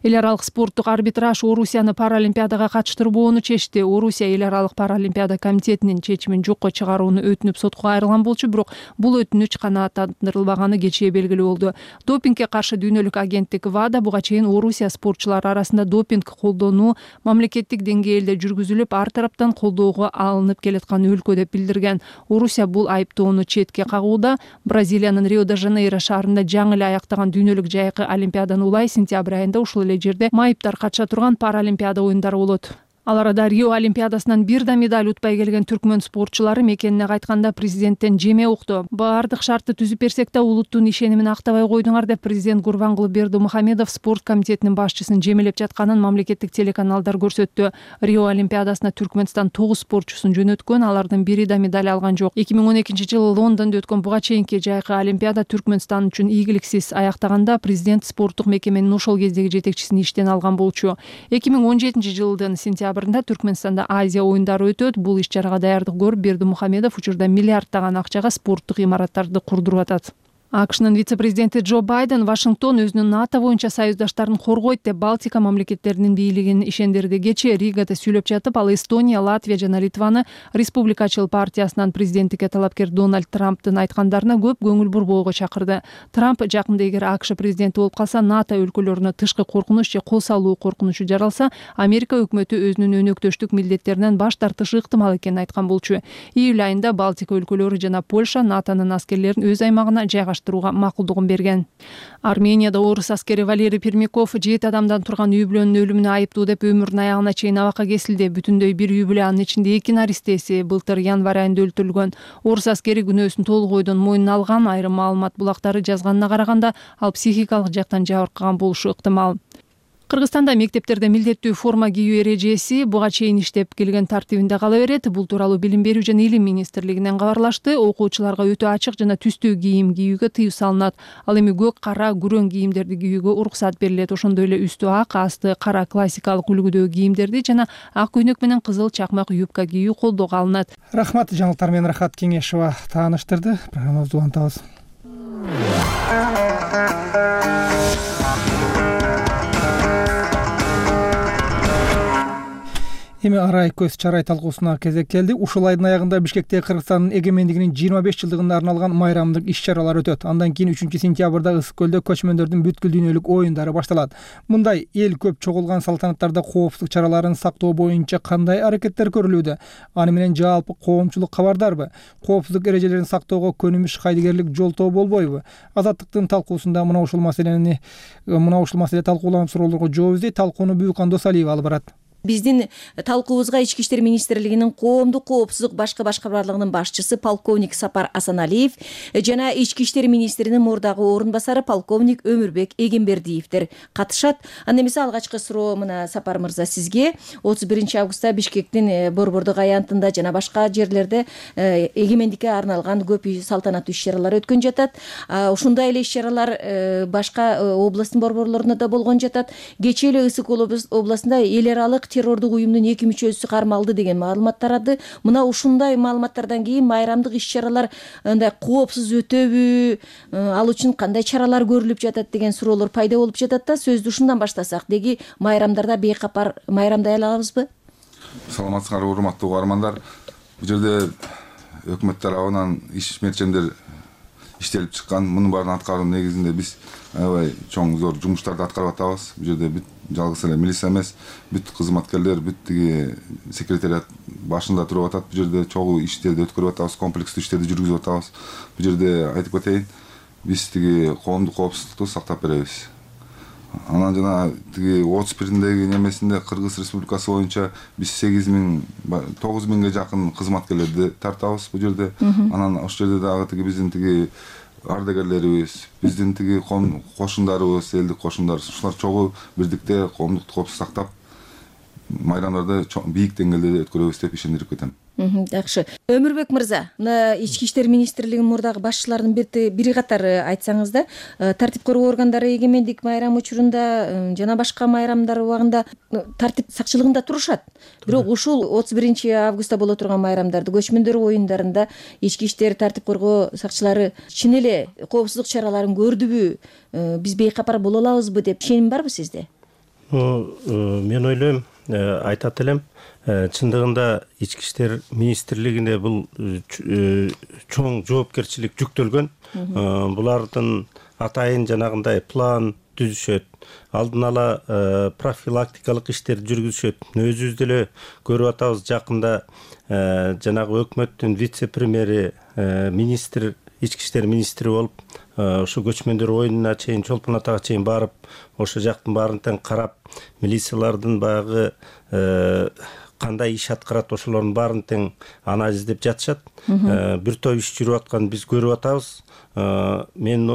Эл аралык спорттук арбитраж Орусияны Паралимпиадага катыштырбоону чечти. Орусия Эл аралык Паралимпиада комитетинин чечимин жокко чыгарууну өтүнүп сотко кайрылган болчу, бирок бул өтүнүч канааттандырылбаганы кечээ белгилүү болду. Допингге каршы дүйнөлүк агенттик ВАДА буга чейин Орусия спортчулары арасында допинг колдонуу мамлекеттик деңгээлде жүргүзүлүп, ар тараптан колдоого алынып келаткан өлкө деп билдирген. Орусия бул айыптоону четке кагууда. Бразилиянын Рио-де-Жанейро шаарында жаңы эле аяктаган дүйнөлүк жайкы олимпиаданын улай сентябрь айында ушул эле жерде майыптар катыша турган Паралимпиада оюндары болот. Ал арада Рио олимпиадасынан бир да медаль утпай келген түркмөн спортчулары мекенине кайтканда президенттен жеме укту. Баардык шартты түзүп берсек да улуттун ишенимин актабай койдуңар деп президент Гурбангулы Бердимухамедов спорт комитетинин башчысын жемелеп жатканын мамлекеттик телеканалдар көрсөттү. Рио олимпиадасына Түркмөнстан 9 спортчусун жөнөткөн, алардын бири да медаль алган жок. 2012-жылы Лондондо өткөн буга чейинки жайкы олимпиада Түркмөнстан үчүн ийгиликсиз аяктаганда президент спорттук мекеменин ошол кездеги жетекчисин иштен алган болчу. 2017-жылдын сентябрында Түркмөнстанда Азия оюндары өтөт. Бул иш-чарага даярдык көрүп Бердимухамедов учурда миллиарддаган акчага спорттук имараттарды курдуруп атат. АКШнын вице-президенти Джо Байден Вашингтон өзүнүн НАТО боюнча союздаштарын коргойт деп Балтика мамлекеттеринин бийлигин ишендирди. Кечээ Ригада сүйлөп жатып, ал Эстония, Латвия жана Литваны Республикачыл партиясынан президенттикке талапкер Дональд Трамптын айткандарына көп көңүл бурбоого чакырды. Трамп жакында эгер АКШ президенти болуп калса, НАТО өлкөлөрүнө тышкы коркунуч же кол салуу коркунучу жаралса, Америка өкмөтү өзүнүн өнөктөштүк милдеттеринен баш тартышы ыктымал экенин айткан болчу. Июль айында Балтика өлкөлөрү жана Польша НАТОнун аскерлерин өз аймагына жайгаштырууга макулдугун берген. Арменияда орус аскери Валерий Пермяков 7 адамдан турган үй бүлөнүн өлүмүнө айыптуу деп өмүрүнүн аягына чейин абакка кесилди. Бүтүндөй бир үй бүлө, анын ичинде 2 наристеси былтыр январь айында өлтүрүлгөн. Орус аскери күнөөсүн толук ойдон мойнуна алган. Айрым маалымат булактары жазганына караганда, ал психикалык жактан жабыркаган болушу ыктымал. Кыргызстанда мектептерде милдеттүү форма кийүү эрежеси буга чейин иштеп келген тартибинде кала берет. Бул тууралуу Билим берүү жана Илим министрлигинен кабарлашты. Окуучуларга өтө ачык жана түстүү кийим кийүүгө тыюу салынат. Ал эми көк, кара, күрөң кийимдерди кийүүгө уруксат берилет. Ошондой эле үстү ак, асты кара классикалык үлгүдөгү кийимдерди жана ак көйнөк менен кызыл чакмак юбка кийүү колдоого алынат. Рахмат, жаңылыктар менен Рахат Кеңешова тааныштырды. Программабызды улантабыз. Эми арай көз чарай талкуусуна кезек келди. Ушул айдын аягында Бишкекте Кыргызстандын эгемендигинин 25 жылдыгына арналган майрамдык иш-чаралар өтөт. Андан кийин 3-сентябрда Ысык көлдө көчмөндөрдүн бүткүл дүйнөлүк оюндары башталат. Мындай эл көп чогулган салтанаттарда коопсуздук чараларын сактоо боюнча кандай аракеттер көрүлүүдө? Аны менен жалпы коомчулук кабардарбы? Коопсуздук эрежелерин сактоого көнүмүш кайдыгерлик жолтоо болбойбу? Азаттыктын талкуусунда мына ушул маселе талкууланып суроолорго жооп издейт. Талкууну Бүкан Досалиева алып барат. Биздин талкуубузга Ички иштер министрлигинин коомдук коопсуздук башкы башкармалыгынын башчысы полковник Сапар Асаналиев жана Ички иштер министринин мурдагы орун басары полковник Өмүрбек Эгембердиевдер катышат. Анда эмесе алгачкы суроо мына Сапар мырза сизге. 31 августта Бишкектин борбордук аянтында жана башка жерлерде эгемендикке арналган көп салтанаттуу иш-чаралар өткөн жатат. Ушундай эле иш-чаралар башка областтын борборлорунда да болгон жатат. Кечээ эле Ысык областында эл аралык террордук уюмдун 2 мүчөсү кармалды деген маалымат тарады. Мына ушундай маалыматтардан кийин майрамдык иш-чаралар андай коопсуз өтөбү, ал үчүн кандай чаралар көрүлүп жатат деген суроолор пайда болуп жатат да. Сөздү ушундан баштасак, деги майрамдарда бейкапар майрамдай алабызбы? Саламатсыңарбы, урматтуу угармандар. Бул жерде өкмөт тарабынан иш-мерчемдер иштелип чыккан. Мунун баарын аткаруунун негизинде биз аябай чоң зор жумуштарды аткарып атабыз. Бул жерде бүт жалгыз эле милиция эмес, бүт кызматкерлер, бүт тиги секретариат башында туруп атат. Бул жерде чогуу иштерди өткөрүп атабыз, комплекстүү иштерди жүргүзүп атабыз. Бул жерде айтып кетейин, биз тиги коомдук коопсуздукту сактап беребиз. Анан жана тиги 31-деги немесинде Кыргыз Республикасы боюнча биз 9.000ге жакын кызматкерлерди тартабыз бул жерде. Анан ошол жерде дагы тиги биздин тиги ардагерлерибиз, биздин тиги кошундарыбыз, элдик кошундарыбыз, ушулар чогуу бирдикте коомдук коопсуздукту сактап, майрамдарды бийик деңгээлде өткөрөбүз деп ишендирип кетем. Жакшы. Өмүрбек мырза, мына Ички иштер министрлигинин мурдагы башчыларынын бири катары айтсаңыз да, тартип коргоо органдары эгемендик майрамы учурунда жана башка майрамдар убагында тартип сакчылыгында турушат. Бирок ушул 31 августта боло турган майрамдарды, көчмөндөр оюндарында ички иштер тартип коргоо сакчылары чын эле коопсуздук чараларын көрдүбү, биз бейкапар боло алабызбы деп ишеним барбы сизде? Мен ойлойм, айтат элем, чындыгында Ички иштер министрлигине бул чоң жоопкерчилик жүктөлгөн. Булардын атайын жанагындай план түзүшөт, алдын ала профилактикалык иштерди жүргүзүшөт. Өзүбүз деле көрүп атабыз, жакында жанагы өкмөттүн вице-премьери, министр, ички иштер министри болуп, ошо көчмөндөр оюнуна чейин, Чолпон Атага чейин барып, ошо жактын баарын тең карап, милициялардын баягы кандай иш аткарат, ошолордун баарын тең анализдеп жатышат. Бир топ иш жүрүп атканын биз көрүп атабыз. Мен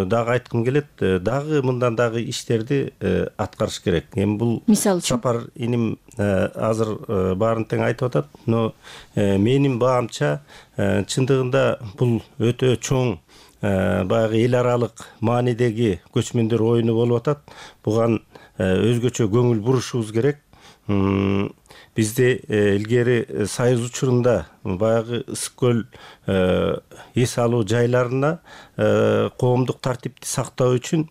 дагы айткым келет, дагы мындан дагы иштерди аткарыш керек. Эми бул Сапар иним азыр баарын тең айтып атат, но менин баамча чындыгында бул өтө чоң баягы эл аралык маанидеги көчмөндөр оюну болуп атат. Буга өзгөчө көңүл бурушубуз керек. бизде илгери союз учурунда баягы ысык көл эс алуу жайларына коомдук тартипти сактоо үчүн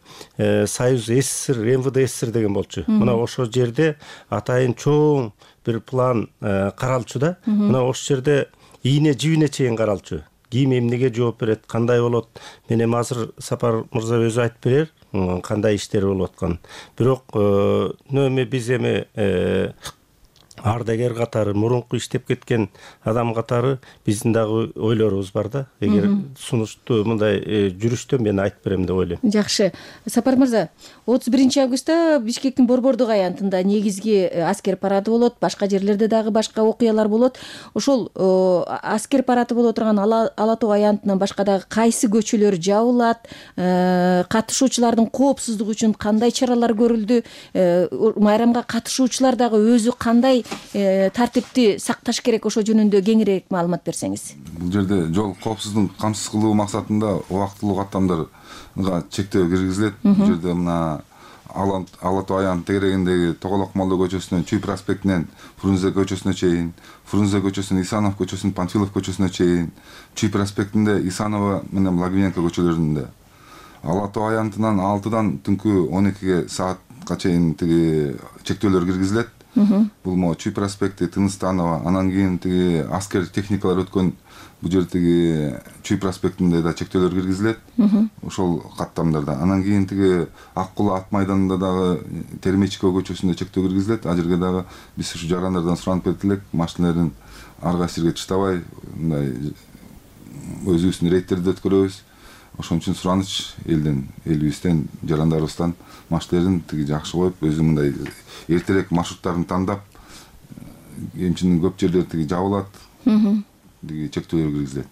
союз СССР МВД СССР деген болчу. Мына ошол жерде атайын чоң бир план каралчу да. Мына ошол жерде ийне жибине чейин каралчу. Ким эмнеге жооп берет, кандай болот, мен эми азыр Сапар мырза өзү айтып берер кандай иштер болуп аткан. Бирок эми биз эми ардагер катары, мурунку иштеп кеткен адам катары биздин дагы ойлорубуз бар да. Эгер сунушту мындай жүрүштө мен айтып берем деп ойлойм. Жакшы. Сапар мырза, 31 августта Бишкектин Борбордук аянтында негизги аскер парады болот, башка жерлерде дагы башка окуялар болот. Ошол аскер парады боло турган Ала Тоо аянтынан башка дагы кайсы көчөлөр жабылат, катышуучулардын коопсуздугу үчүн кандай чаралар көрүлдү, майрамга катышуучулар дагы өзү кандай тартипти сакташ керек, ошо жөнүндө кеңирээк маалымат берсеңиз. Бул жерде жол коопсуздугун камсыз кылуу максатында убактылуу каттамдарга чектөө киргизилет. Бул жерде мына Ала Тоо аянт тегерегиндеги Тоголок Молдо көчөсүнөн Чүй проспектинен Фрунзе көчөсүнө чейин, Фрунзе көчөсүнөн Исанов көчөсүнөн Панфилов көчөсүнө чейин, Чүй проспектинде Исанова менен Благовенко көчөлөрүндө, Ала Тоо аянтынан 6-дан түнкү 12 саатка чейин тиги чектөөлөр киргизилет. Бул могу Чүй проспекти, Тыныстанова, анан кийин тиги аскер техникалар өткөн бул жердеги Чүй проспектинде да чектөөлөр киргизилет. Ошол каттамдарда. Анан кийин тиги Ак Кулаа ат майданында дагы Термечко көчөсүндө чектөө киргизилет. Ал жерге дагы биз ушу жарандардан суранып кетти элек, машиналердин ар кайсы жерге таштабай, мындай өзүбүздүн рейдтерди өткөрөбүз. Ошон үчүн сураныч элибизден, жарандарыбыздан машиналерин тиги жакшы коюп, өзү мындай эртерээк маршруттарын тандап, эмчинин көп жерлери тиги жабылат, тиги чектөөлөр киргизилет.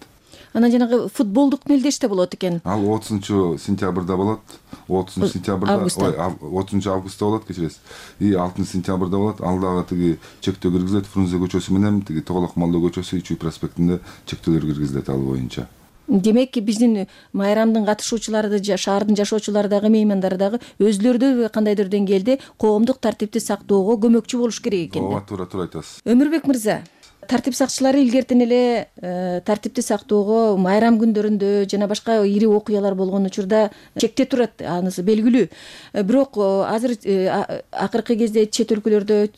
Анан жанагы футболдук мелдеште болот экен. Ал 30-сентябрда болот. 30-сентябрда, 30 августта болот, кечиресиз. И 6-сентябрда болот. Ал дагы тиги чектөө киргизилет. Фрунзе көчөсү менен тиги Тоголок Молдо көчөсү, Чүй проспектинде чектөөлөр киргизилет ал боюнча. Демек, биздин майрамдын катышуучулары, шаардын жашоочулары дагы, меймандары дагы өзүлөрү да кандайдыр деңгээлде коомдук тартипти сактоого көмөкчү болуш керек экен. Ооба, туура айтасыз. Өмүрбек мырза, тартип сакчылары илгертен эле тартипти сактоого майрам күндөрүндө жана башка ири окуялар болгон учурда чекте турат, анысы белгилүү. Бирок азыр акыркы кезде чет өлкөлөрдө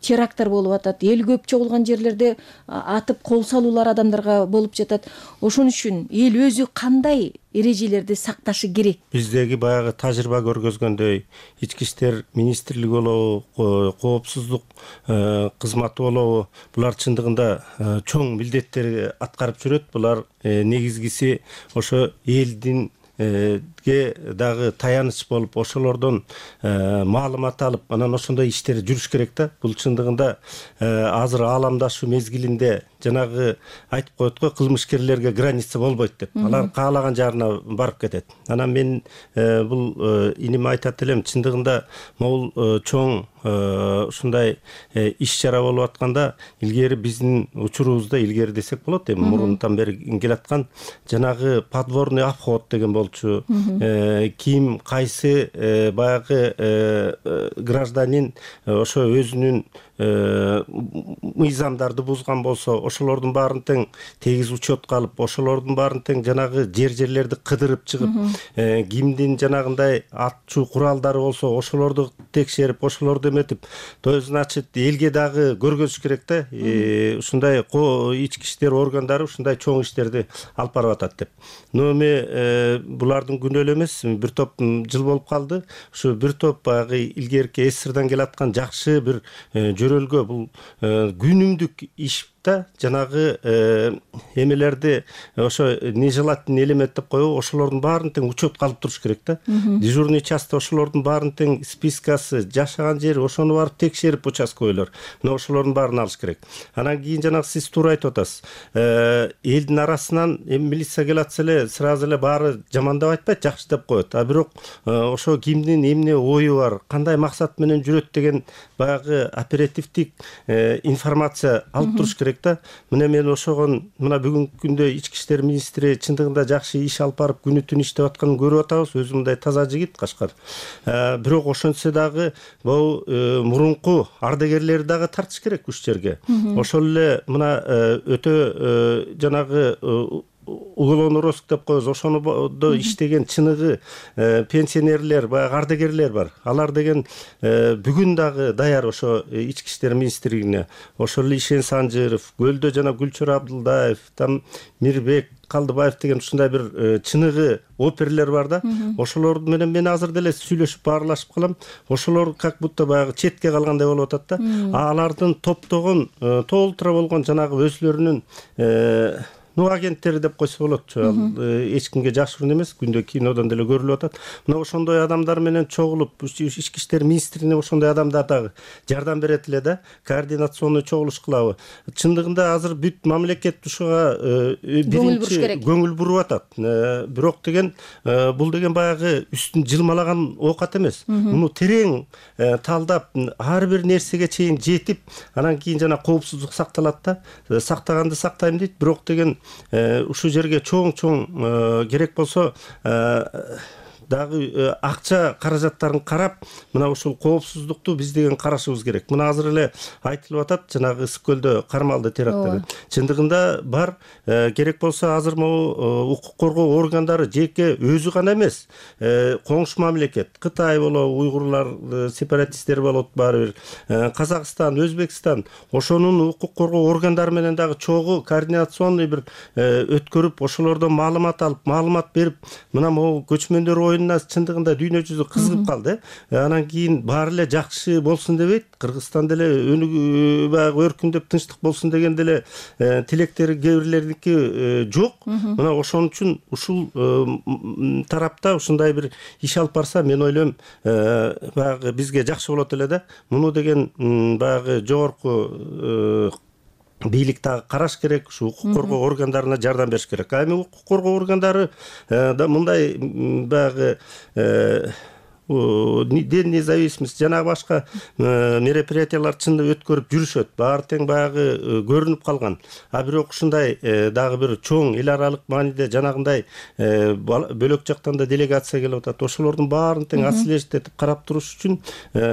теракттар болуп атат, эл көп чогулган жерлерде атып кол салуулар адамдарга болуп жатат. Ошон үчүн эл өзү кандай эрежелерди сакташы керек? Биздеги баягы тажрыйба көргөзгөндөй, ички иштер министрлиги болобу, коопсуздук кызматы болобу, булар чындыгында чоң милдеттерди аткарып жүрөт. Булар негизгиси ошо элдин дагы таяныч болуп, ошолордон маалымат алып, анан ошондой иштер жүрүш керек да. Бул чындыгында азыр ааламдашуу мезгилинде жанагы айтып коет го, кылмышкерлерге граница болбойт деп. Алар каалаган жарына барып кетет. Анан мен бул иним айтат элем, чындыгында могул чоң ушундай иш чара болуп атканда, илгери биздин учурубузда, илгери десек болот, эми мурунтан бери келаткан жанагы подворный обход деген болчу. Ким кайсы баягы гражданин ошо өзүнүн мыйзамдарды бузган болсо, ошолордун баарын тең тегиз учетко алып, ошолордун баарын тең жанагы жерлерди кыдырып чыгып, кимдин жанагындай атчу куралдары болсо, ошолорду текшерип, ошолорду эметип, то значит элге дагы көргөзүш керек да. Ушундай ички иштер органдары ушундай чоң иштерди алып барып атат деп. Но эми булардын күнөө эле эмес, бир топ жыл болуп калды. Ушу бир топ баягы илгерки СССРдан келаткан жакшы бир жөрөлгө, бул күнүмдүк иш да, жанагы эмелерди ошо нежелательный элемент деп коебу, ошолордун баарын тең учетко алып туруш керек да. Дежурный часть ошолордун баарын тең спискасы, жашаган жери, ошону барып текшерип участковыйлар. Мына ошолордун баарын алыш керек. Анан кийин жанагы сиз туура айтып атасыз. Элдин арасынан милиция келатса эле сразу эле баары жамандап айтпайт, жакшы деп коет. А бирок ошо кимдин эмне ою бар, кандай максат менен жүрөт деген баягы оперативдик информация алып туруш керек керек да. Мына мен ошогон мына бүгүнкү күндө ички иштер министри чындыгында жакшы иш алып барып күнү түн иштеп атканын көрүп атабыз. Өзү мындай таза жигит Кашкар. Бирок ошентсе дагы бул мурунку ардагерлерди дагы тартыш керек ушул жерге. Ошол эле мына өтө жанагы уголовный деп коебуз. Ошондо иштеген чыныгы пенсионерлер, баягы ардагерлер бар. Алар деген бүгүн дагы даяр ошо ички иштер министрлигине. Ошол эле Ишен Санжыров, Көлдө жана Гүлчөр Абдылдаев, там Мирбек Калдыбаев деген ушундай бир чыныгы оперлер бар да. Ошолор менен мен азыр деле сүйлөшүп баарлашып калам. Ошолор как будто баягы четке калгандай болуп атат да. Алардын топтогон толтура болгон жанагы өзлөрүнүн агенттери деп койсо болот. Эч кимге жашыруун эмес, күндө кинодон деле көрүлүп атат. Мына ошондой адамдар менен чогулуп, ички иштер министрине ошондой адамдар дагы жардам берет эле да. Координационный чогулуш кылабы. Чындыгында азыр бүт мамлекет ушуга биринчи көңүл буруп атат. Бирок деген бул деген баягы үстүн жылмалаган оокат эмес. Муну терең талдап, ар бир нерсеге чейин жетип, анан кийин жана коопсуздук сакталат да. Сактаганды сактайм дейт, бирок деген ушул жерге чоң керек болсо дагы акча каражаттарын карап, мына ушул коопсуздукту биз деген карашыбыз керек. Мына азыр эле айтылып атат, жанагы Ысык көлдө кармалды теракттары. Чындыгында бар, керек болсо азыр могу укук коргоо органдары жеке өзү гана эмес, коңшу мамлекет, Кытай болобу, уйгурлар сепаратисттер болот баары бир, Казакстан, Өзбекстан, ошонун укук коргоо органдары менен дагы чогуу координационный бир өткөрүп, ошолордон маалымат алып, маалымат берип, мына могу көчмөндөр чындыгында дүйнө жүзү кызыгып калды. Анан кийин баары эле жакшы болсун дебейт. Кыргызстан деле баягы өркүндөп тынчтык болсун деген деле тилектери кээ бирлердики жок. Мына ошон үчүн ушул тарапта ушундай бир иш алып барса, мен ойлойм, баягы бизге жакшы болот эле да. Муну деген баягы жогорку бийлик дагы караш керек, ушу укук коргоо органдарына жардам бериш керек. Эми укук коргоо органдары да мындай баягы День независимости жана башка мероприятиялар чында өткөрүп жүрүшөт. Баары тең баягы көрүнүп калган. Бирок ушундай дагы бир чоң эл аралык мааниде жанагындай бөлөк жактан да делегация келип атат. Ошолордун баарын тең отслеживать этип карап туруш үчүн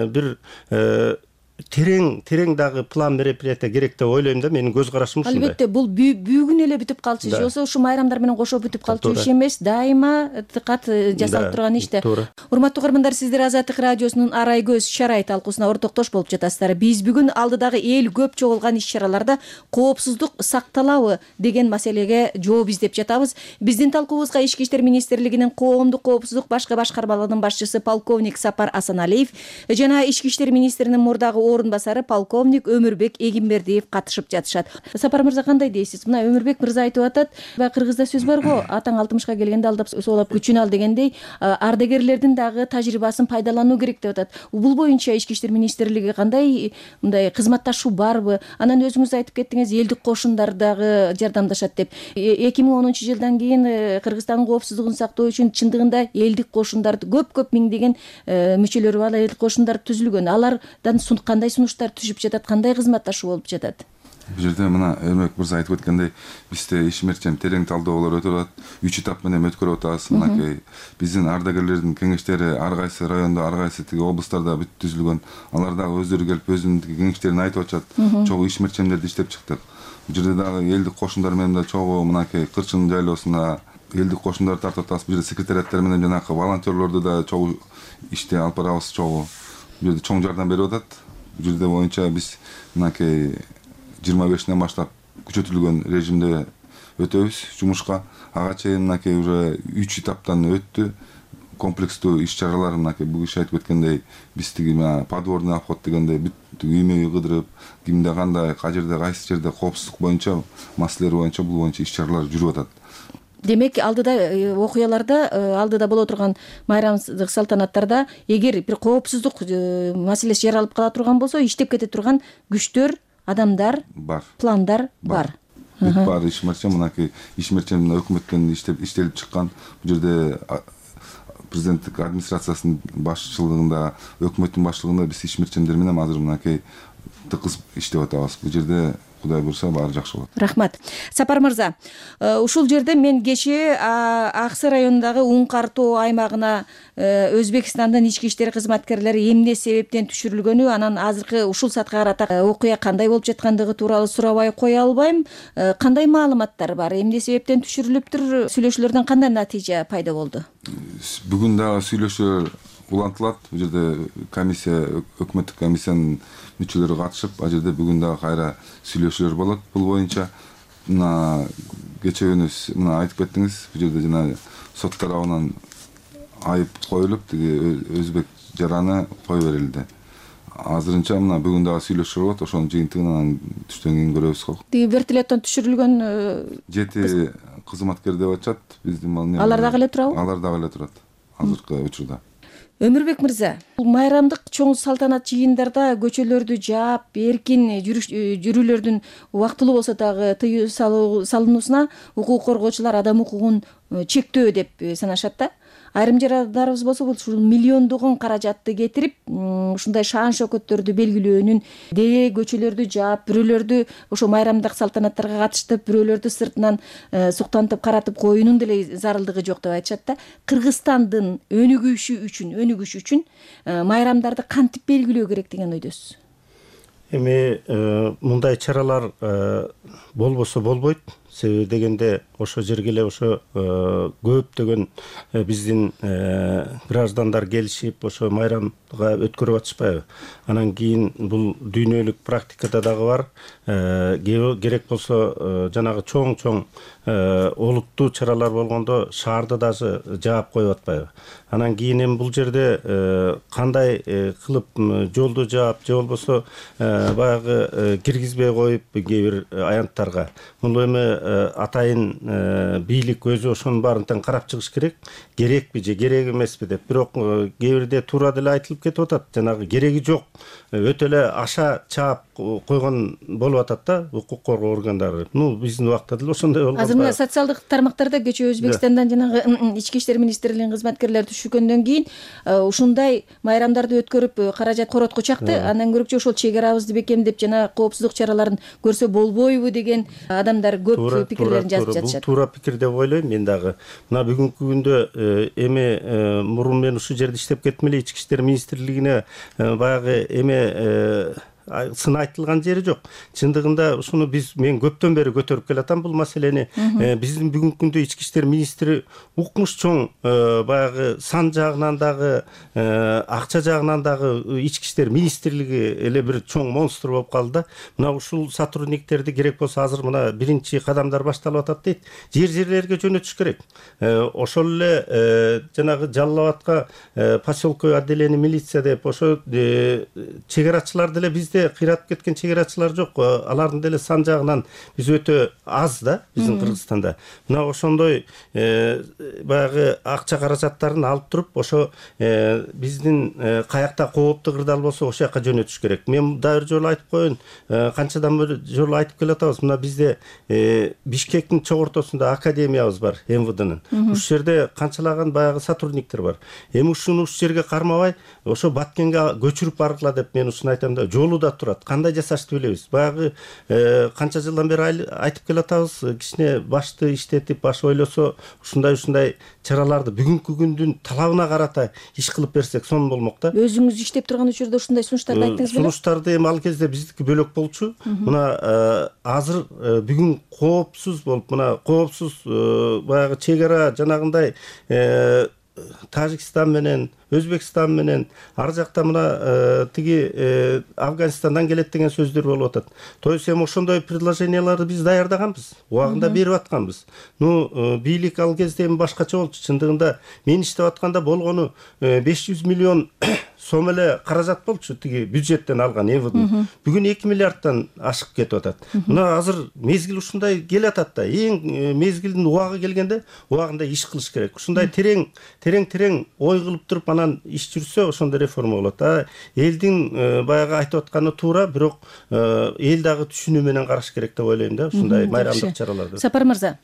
бир терең дагы план мероприятия керек деп ойлойм да. Менин көз карашым ушундай. Албетте, бул бүгүн эле бүтүп калчу иш болсо, ушу майрамдар менен кошо бүтүп калчу иш эмес, дайыма дыкат жасалып турган иш да. Урматтуу угармандар, сиздер Азаттык радиосунун Арай көз иш-чара талкуусуна ортоктош болуп жатасыздар. Биз бүгүн алдыдагы эл көп чогулган иш-чараларда коопсуздук сакталабы деген маселеге жооп издеп жатабыз. Биздин талкуубузга Ички иштер министрлигинин коомдук коопсуздук башкы башкармалыгынын башчысы полковник Сапар Асаналиев жана Ички иштер министринин мурдагы орун басары полковник Өмүрбек Эгимбердиев катышып жатышат. Сапар мырза, кандай дейсиз? Мына Өмүрбек мырза айтып атат, кыргызда сөз бар го, атаң 60-ка келгенде алдап соолап күчүн ал дегендей, ардагерлердин дагы тажрыйбасын пайдалануу керек деп атат. Бул боюнча Ички иштер министрлиги кандай мындай кызматташуу барбы? Анан өзүңүз айтып кеттиңиз, элдик кошундар дагы жардамдашат деп. 2010 жылдан кийин Кыргызстандын коопсуздугун сактоо үчүн чындыгында элдик кошундарды көп миңдеген мүчөлөрү бар элдик кошундар түзүлгөн. Алардан кандай сунуштар түшүп жатат, кандай кызматташуу болуп жатат? Бул жерде мына Өмүрбек мырза айтып өткөндөй, бизде ишмерчем терең талдоолор өтүп атат. 3 этап менен өткөрүп атабыз. Мынакей биздин ардагерлердин кеңештери ар кайсы райондо, ар кайсы тиги облустарда бүт түзүлгөн. Алар дагы өздөрү келип өзүнүн кеңештерин айтып атышат. Чогуу ишмерчемдерди иштеп чыктык. Бул жерде дагы элдик кошундар менен да чогуу мынакей Кырчын жайлоосуна элдик кошундарды тартып атабыз. Бул жерде секретариаттар менен жанагы волонтерлорду да чогуу иште алып барабыз. Чогуу бул жерде чоң жардам берип атат. Бул жерде боюнча биз мынакей 25-ден баштап күчөтүлгөн режимде өтөбүз жумушка. Ага чейин мынакей уже 3 этаптан өттү. Комплекстүү иш-чаралар мынакей бул киши айтып өткөндөй, биз тиги подворный обход дегендей бүт үймө кыдырып, кимде кандай, жерде кайсы жерде коопсуздук боюнча маселелер боюнча бул боюнча иш-чаралар жүрүп атат. Демек, алдыда окуяларда, алдыда боло турган майрамдык салтанаттарда эгер бир коопсуздук маселеси жаралып кала турган болсо, иштеп кете турган күчтөр, адамдар бар, пландар бар. Бүт баары ишмерчем, мынакей ишмерчем өкмөттөн иштелип чыккан. Бул жерде президенттик администрациясынын башчылыгында, өкмөттүн башчылыгында биз ишмерчемдер менен азыр мынакей тыкыз иштеп атабыз. Бул жерде Кудай буюрса баары жакшы болот. Рахмат. Сапар мырза, ушул жерде мен кечээ Ак Сай районундагы Уңкар тоо аймагына Өзбекстандын ички иштер кызматкерлери эмне себептен түшүрүлгөнү, анан азыркы ушул саатка карата окуя кандай болуп жаткандыгы тууралуу сурабай кое албайм. Кандай маалыматтар бар? Эмне себептен түшүрүлүптүр? Сүйлөшүүлөрдөн кандай натыйжа пайда болду? Бүгүн дагы сүйлөшүүлөр улантылат. Бул жерде комиссия, өкмөттүк комиссиянын мүчөлөрү катышып, ал жерде бүгүн дагы кайра сүйлөшүүлөр болот. Бул боюнча мына кечээ күнү мына айтып кеттиңиз, бул жерде жана сот тарабынан айып коюлуп, тиги өзбек жараны кое берилди. Азырынча мына бүгүн дагы сүйлөшүүлөр болот, ошонун жыйынтыгын анан түштөн кийин көрөбүз го. Тиги вертолеттон түшүрүлгөн 7 кызматкер деп атышат. Биздин алар дагы эле турабы? Алар дагы эле турат азыркы учурда. Өмүрбек мырза, майрамдык чоң салтанат жыйындарда көчөлөрдү жаап, эркин жүрүүлөрдүн убактылуу болсо дагы тыюу салынуусуна укук коргоочулар адам укугун чектөө деп санашат да. Айрым жарандарыбыз болсо ушул миллиондогон каражатты кетирип, ушундай шаан шөкөттөрдү белгилөөнүн, деле көчөлөрдү жаап, бирөөлөрдү ошо майрамдык салтанаттарга катыштып, бирөөлөрдү сыртынан суктантып, каратып коюунун деле зарылдыгы жок деп айтышат да. Кыргызстандын өнүгүшү үчүн майрамдарды кантип белгилөө керек деген ойдосуз? Эми мындай чаралар болбосо болбойт. Себеби дегенде ошо жерге эле ошо көптөгөн биздин граждандар келишип, ошо майрамга өткөрүп атышпайбы? Анан кийин бул дүйнөлүк практикада дагы бар. Керек болсо жанагы чоң олуттуу чаралар болгондо шаарды даже жаап коюп атпайбы? Анан кийин эми бул жерде кандай кылып жолду жаап, же болбосо баягы киргизбей коюп кээ бир аянттарга. Бул эми атайын бийлик өзү ошонун баарын тең карап чыгыш керек. Керекпи же керек эмеспи деп. Бирок кээ бирде туура деле айтылып кетип атат. Жанагы кереги жок. Өтө эле аша чаап койгон болуп атат да укук коргоо органдары. Биздин убакта деле ошондой болгон. Азыр мына социалдык тармактарда кечээ Өзбекстандан жанагы ички иштер министрлигинин кызматкерлери түшүргөндөн кийин ушундай майрамдарды өткөрүп каражат коротко чакты, андан көрөкчө ошол чек арабызды бекемдеп жана коопсуздук чараларын көрсө болбойбу деген адамдар көп пикирлерин жазып жатышат. Бул туура пикир деп ойлойм мен дагы. Мына бүгүнкү күндө эми мурун мен ушул жерде иштеп кеттим эле, ички иштер министрлигине баягы сын айтылган жери жок. Чындыгында ушуну мен көптөн бери көтөрүп келатам бул маселени. Биздин бүгүнкү күндө ички иштер министри укмуш чоң, баягы сан жагынан дагы, акча жагынан дагы ички иштер министрлиги эле бир чоң монстр болуп калды да. Мына ушул сотрудниктерди керек болсо азыр мына биринчи кадамдар башталып атат дейт. Жерлерге жөнөтүш керек. Ошол эле жанагы Жалал Абадка поселковый отделение милиция деп ошо чегарачылар деле бизде кыйратып кеткен чегарачылар жок. Алардын деле сан жагынан биз өтө аз да биздин Кыргызстанда. Мына ошондой баягы акча каражаттарын алып туруп, ошо биздин каякта кооптуу кырдаал болсо ошол жака жөнөтүш керек. Мен дагы бир жолу айтып коеюн, канчадан бери жолу айтып келатабыз. Мына бизде Бишкектин чок ортосунда академиябыз бар, МВДнын. Ушул жерде канчалаган баягы сотрудниктер бар. Эми ушуну ушул жерге кармабай, ошо Баткенге көчүрүп баргыла деп мен ушуну айтам да. Жолу да турат. Кандай жасашты билебиз. Баягы канча жылдан бери айтып келатабыз, кичине башты иштетип, баш ойлосо, ушундай чараларды бүгүнкү күндүн талабына карата иш кылып берсек сонун болмок да. Өзүңүз иштеп турган учурда ушундай сунуштарды айттыңыз беле? Сунуштарды эми ал кезде биздики бөлөк болчу. Мына азыр бүгүн коопсуз болуп, мына коопсуз баягы чек ара жанагындай Тажикстан менен, Өзбекстан менен, ар жакта мына тиги Афганистандан келет деген сөздөр болуп атат. То есть эми ошондой предложенияларды биз даярдаганбыз, убагында берип атканбыз. Бийлик ал кезде эми башкача болчу. Чындыгында мен иштеп атканда болгону 500 миллион сом эле каражат болчу тиги бюджеттен алган МВД. Бүгүн 2 миллиардтан ашык кетип атат. Мына азыр мезгил ушундай келатат да. Эң мезгилдин убагы келгенде убагында иш кылыш керек. Ушундай терең ой кылып туруп анан иш жүрсө ошондой реформа болот. Элдин баягы айтып атканы туура, бирок эл дагы түшүнүү менен караш керек деп ойлойм да ушундай майрамдык чараларды. Сапар мырза,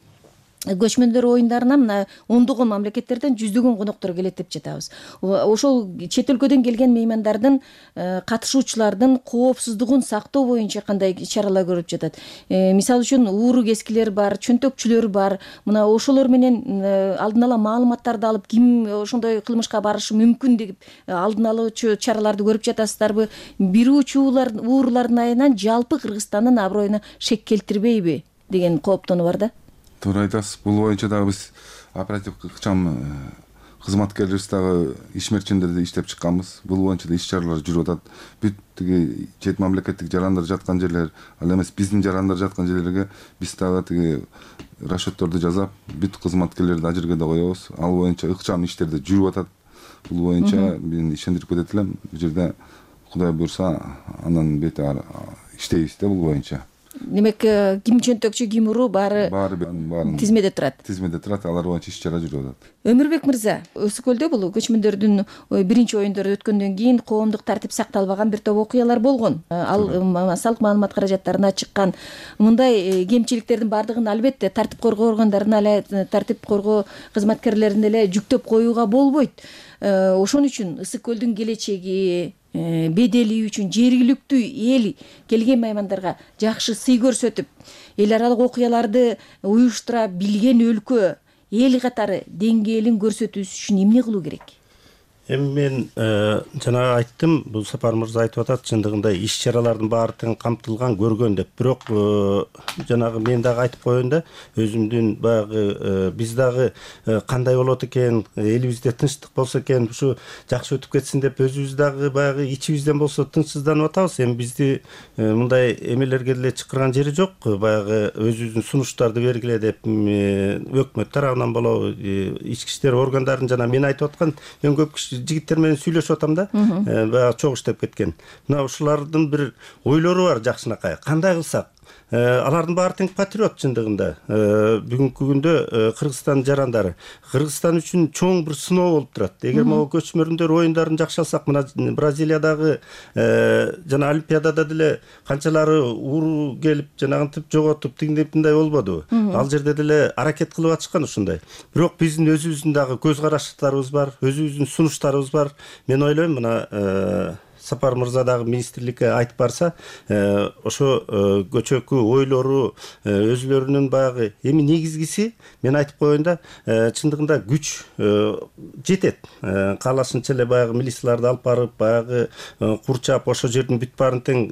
көчмөндөр оюндарына мына ондогон мамлекеттерден жүздөгөн коноктор келет деп жатабыз. Ошол чет өлкөдөн келген меймандардын катышуучулардын коопсуздугун сактоо боюнча кандай чаралар көрүлүп жатат? Мисалы үчүн ууру кескилер бар, чөнтөкчүлөр бар. Мына ошолор менен алдын ала маалыматтарды алып, ким ошондой кылмышка барышы мүмкүн деп алдын алуучу чараларды көрүп жатасыздарбы? Бир уурулардын айынан жалпы Кыргызстандын аброюна шек келтирбейби деген кооптонуу бар да. Туура айтасыз. Бул боюнча дагы биз оперативдик ыкчам кызматкерлерибиз дагы ишмерчендерди иштеп чыкканбыз. Бул боюнча да иш чаралар жүрүп атат. Бүт тиги чет мамлекеттик жарандар жаткан жерлер, ал эмес биздин жарандар жаткан жерлерге биз дагы тиги расчетторду жасап, бүт кызматкерлерди ажыргада коебуз. Ал боюнча ыкчам иштер жүрүп атат. Бул боюнча мен ишендирип кетет элем. Бул жерде Кудай буйрса, андан бетер иштейбиз да бул боюнча. Демек, ким чөнтөкчү, ким уру баары тизмеде турат. Тизмеде турат, алар боюнча иш чара жүрүп атат. Өмүрбек мырза, Өсү көлдө бул көчмөндөрдүн биринчи оюндору өткөндөн кийин коомдук тартип сакталбаган бир топ окуялар болгон. Ал салык маалымат каражаттарына чыккан. Мындай кемчиликтердин баардыгын албетте тартип коргоо органдарына тартип коргоо кызматкерлерине эле жүктөп коюуга болбойт. Ошон үчүн Ысык көлдүн келечеги, бедели үчүн жергиликтүү эл келген меймандарга жакшы сый көрсөтүп, эл аралык окуяларды уюштура билген өлкө, эл катары деңгээлин көрсөтүүсү үчүн эмне кылуу керек? Эми мен жана айттым, бул Сапар мырза айтып атат, чындыгында иш чаралардын баары тең камтылган, көргөн деп. Бирок жанагы мен дагы айтып коеюн да, өзүмдүн баягы биз дагы кандай болот экен, элибизде тынчтык болсо экен, ушу жакшы өтүп кетсин деп өзүбүз дагы баягы ичибизден болсо тынчсызданып атабыз. Эми бизди мындай эмелерге деле чакырган жери жок. Баягы өзүбүздүн сунуштарды бергиле деп өкмөт тарабынан болобу, ички иштер органдарын жана мен айтып аткан мен көп жигиттер менен сүйлөшүп атам да, баягы чогуу иштеп кеткен. Мына ушулардын бир ойлору бар жакшынакай. Кандай кылсак? Алардын баары тең патриот чындыгында. Бүгүнкү күндө Кыргызстан жарандары Кыргызстан үчүн чоң бир сыноо болуп турат. Эгер могу көчмөндөр оюндарын жакшы алсак, мына Бразилиядагы жана Олимпиадада деле канчалары ууру келип, жанагынтип жоготуп, тигиндей болбодубу? Ал жерде деле аракет кылып атышкан ушундай. Бирок биздин өзүбүздүн дагы көз караштарыбыз бар, өзүбүздүн сунуштарыбыз бар. Мен ойлойм, мына Сапар мырза дагы министрликке айтып барса, ошо көчөкү ойлору өзүлөрүнүн баягы эми негизгиси мен айтып коеюн да, чындыгында күч жетет. Каалашынча эле баягы милицияларды алып барып, баягы курчап, ошо жердин бүт баарын тең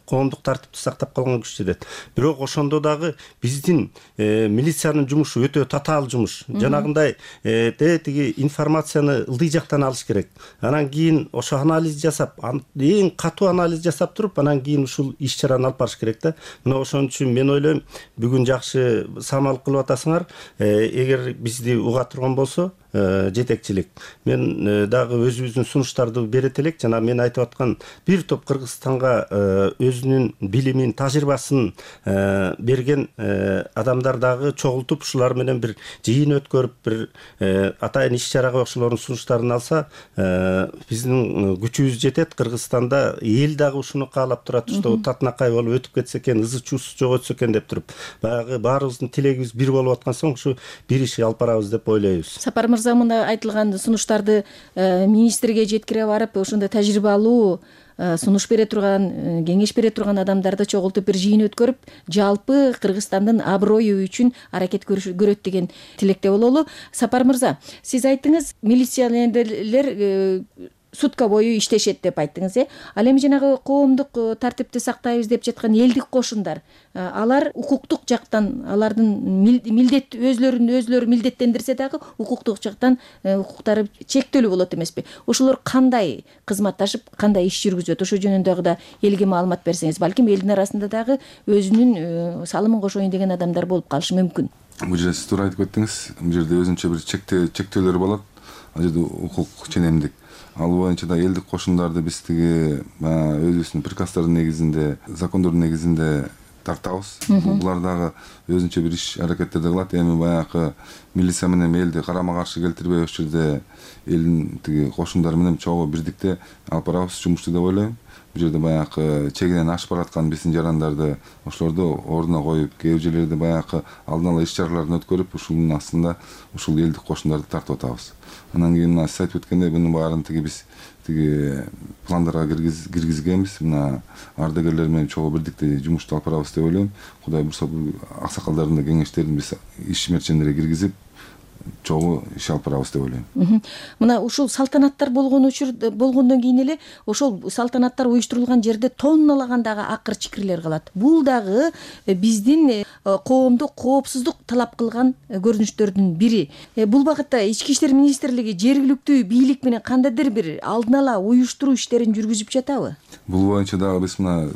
коомдук тартипти сактап калган күч жетет. Бирок ошондо дагы биздин милициянын жумушу өтө татаал жумуш. Жанагындай тиги информацияны ылдый жактан алыш керек. Анан кийин ошо анализ жасап, эң катуу анализ жасап туруп, анан кийин ушул иш чараны алып барыш керек да. Мына ошон үчүн мен ойлойм, бүгүн жакшы самал кылып атасыңар. Эгер бизди уга турган болсо, жетекчилик. Мен дагы өзүбүздүн сунуштарды берет элек. Жана мен айтып аткан бир топ Кыргызстанга өзүнүн билимин, тажрыйбасын берген адамдар дагы чогултуп, ушулар менен бир жыйын өткөрүп, бир атайын иш чарага ошолордун сунуштарын алса, биздин күчүбүз жетет. Кыргызстанда эл дагы ушуну каалап турат, что татынакай болуп өтүп кетсе экен, ызы чуусу жок өтсө экен деп туруп, баягы баарыбыздын тилегибиз бир болуп аткан соң ушу бир иш алып барабыз деп ойлойбуз. Сапар мырза, мына айтылган сунуштарды министрге жеткире барып, ошондой тажрыйбалуу сунуш бере турган, кеңеш бере турган адамдарды чогултуп бир жыйын өткөрүп, жалпы Кыргызстандын аброю үчүн аракет көрөт деген тилекте бололу. Сапар мырза, сиз айттыңыз, милиционерлер сутка бою иштешет деп айттыңыз, Ал эми жанагы коомдук тартипти сактайбыз деп жаткан элдик кошундар, алар укуктук жактан, алардын милдет өзлөрүн милдеттендирсе дагы укуктук жактан укуктары чектелүү болот эмеспи? Ошолор кандай кызматташып, кандай иш жүргүзөт? Ошо жөнүндө да элге маалымат берсеңиз, балким элдин арасында дагы өзүнүн салымын кошоюн деген адамдар болуп калышы мүмкүн. Бул жерде сиз туура айтып кеттиңиз. Бул жерде өзүнчө бир чектөөлөр болот. Ал жерде укук ченемдик. Ал боюнча да элдик кошундарды биз тиги өзүбүздүн приказдардын негизинде, закондордун негизинде тартабыз. Булар дагы өзүнчө бир иш аракеттерди кылат. Эми баягы милиция менен элди карама каршы келтирбей, ошол жерде элдин тиги кошундары менен чогуу бирдикте алып барабыз жумушту деп ойлойм. бул жерде баягы чегинен ашып бараткан биздин жарандарды ошолорду ордуна коюп, кээ бир жерлерде баягы алдын ала иш чараларын өткөрүп, ушунун астында ушул элдик кошундарды тартып атабыз. Анан кийин мына сиз айтып өткөндөй мунун баарын биз пландарга киргизгенбиз. Мына ардагерлер менен чогуу бирдикте жумушту алып барабыз деп ойлойм. Кудай бурса бул аксакалдардын да кеңештерин биз ишмерчендерге киргизип чогуу иш алып барабыз деп ойлойм. Мына ушул салтанаттар болгондон кийин эле ошол салтанаттар уюштурулган жерде тонналагандагы акыр чикирлер калат. Бул дагы биздин коомду коопсуздук талап кылган көрүнүштөрдүн бири. Бул багытта Ички иштер министрлиги жергиликтүү бийлик менен кандайдыр бир алдын ала уюштуруу иштерин жүргүзүп жатабы? Бул боюнча дагы биз мына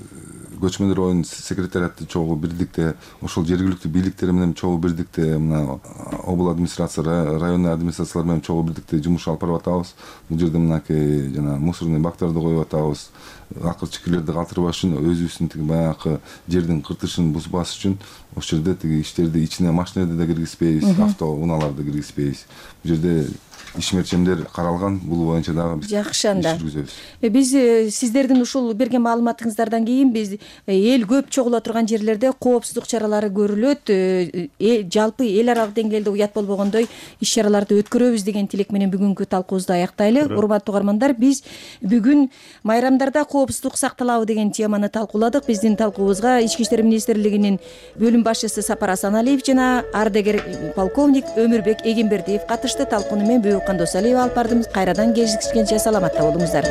көчмөндөр оюнун секретариаты чогуу бирдикте, ошол жергиликтүү бийликтер менен чогуу бирдикте, мына обл администрация, районный администрациялар менен чогуу бирдикте жумуш алып барып атабыз. Бул жерде мынакей жана мусорный бактарды коюп атабыз. Акыр чикирлерди калтырбаш үчүн, өзүбүздүн баягы жердин кыртышын бузбас үчүн ошол жерде иштерди ичине машиналарды да киргизбейбиз, авто унааларды киргизбейбиз. Бул жерде ишмерчендер каралган, бул боюнча дагы биз жакшы анда. жүргүзөбүз. Биз сиздердин ушул берген маалыматыңыздардан кийин биз эл көп чогула турган жерлерде коопсуздук чаралары көрүлөт, жалпы эл аралык деңгээлде уят болбогондой иш чараларды өткөрөбүз деген тилек менен бүгүнкү талкуубузду аяктайлы. Урматтуу угармандар, биз бүгүн майрамдарда коопсуздук сакталабы деген теманы талкууладык. Биздин талкуубузга Ички иштер министрлигинин бөлүм башчысы Сапар Асаналиев жана ардагер полковник Өмүрбек Эгембердиев катышты. Талкууну мен Бүкөн Досалиева алып бардым. Кайрадан кездешкенче саламатта болуңуздар.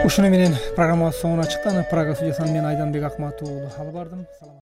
Ушуну менен программабыз соңуна чыкты. Программа студиясынан мен Айданбек Акматов алып бардым.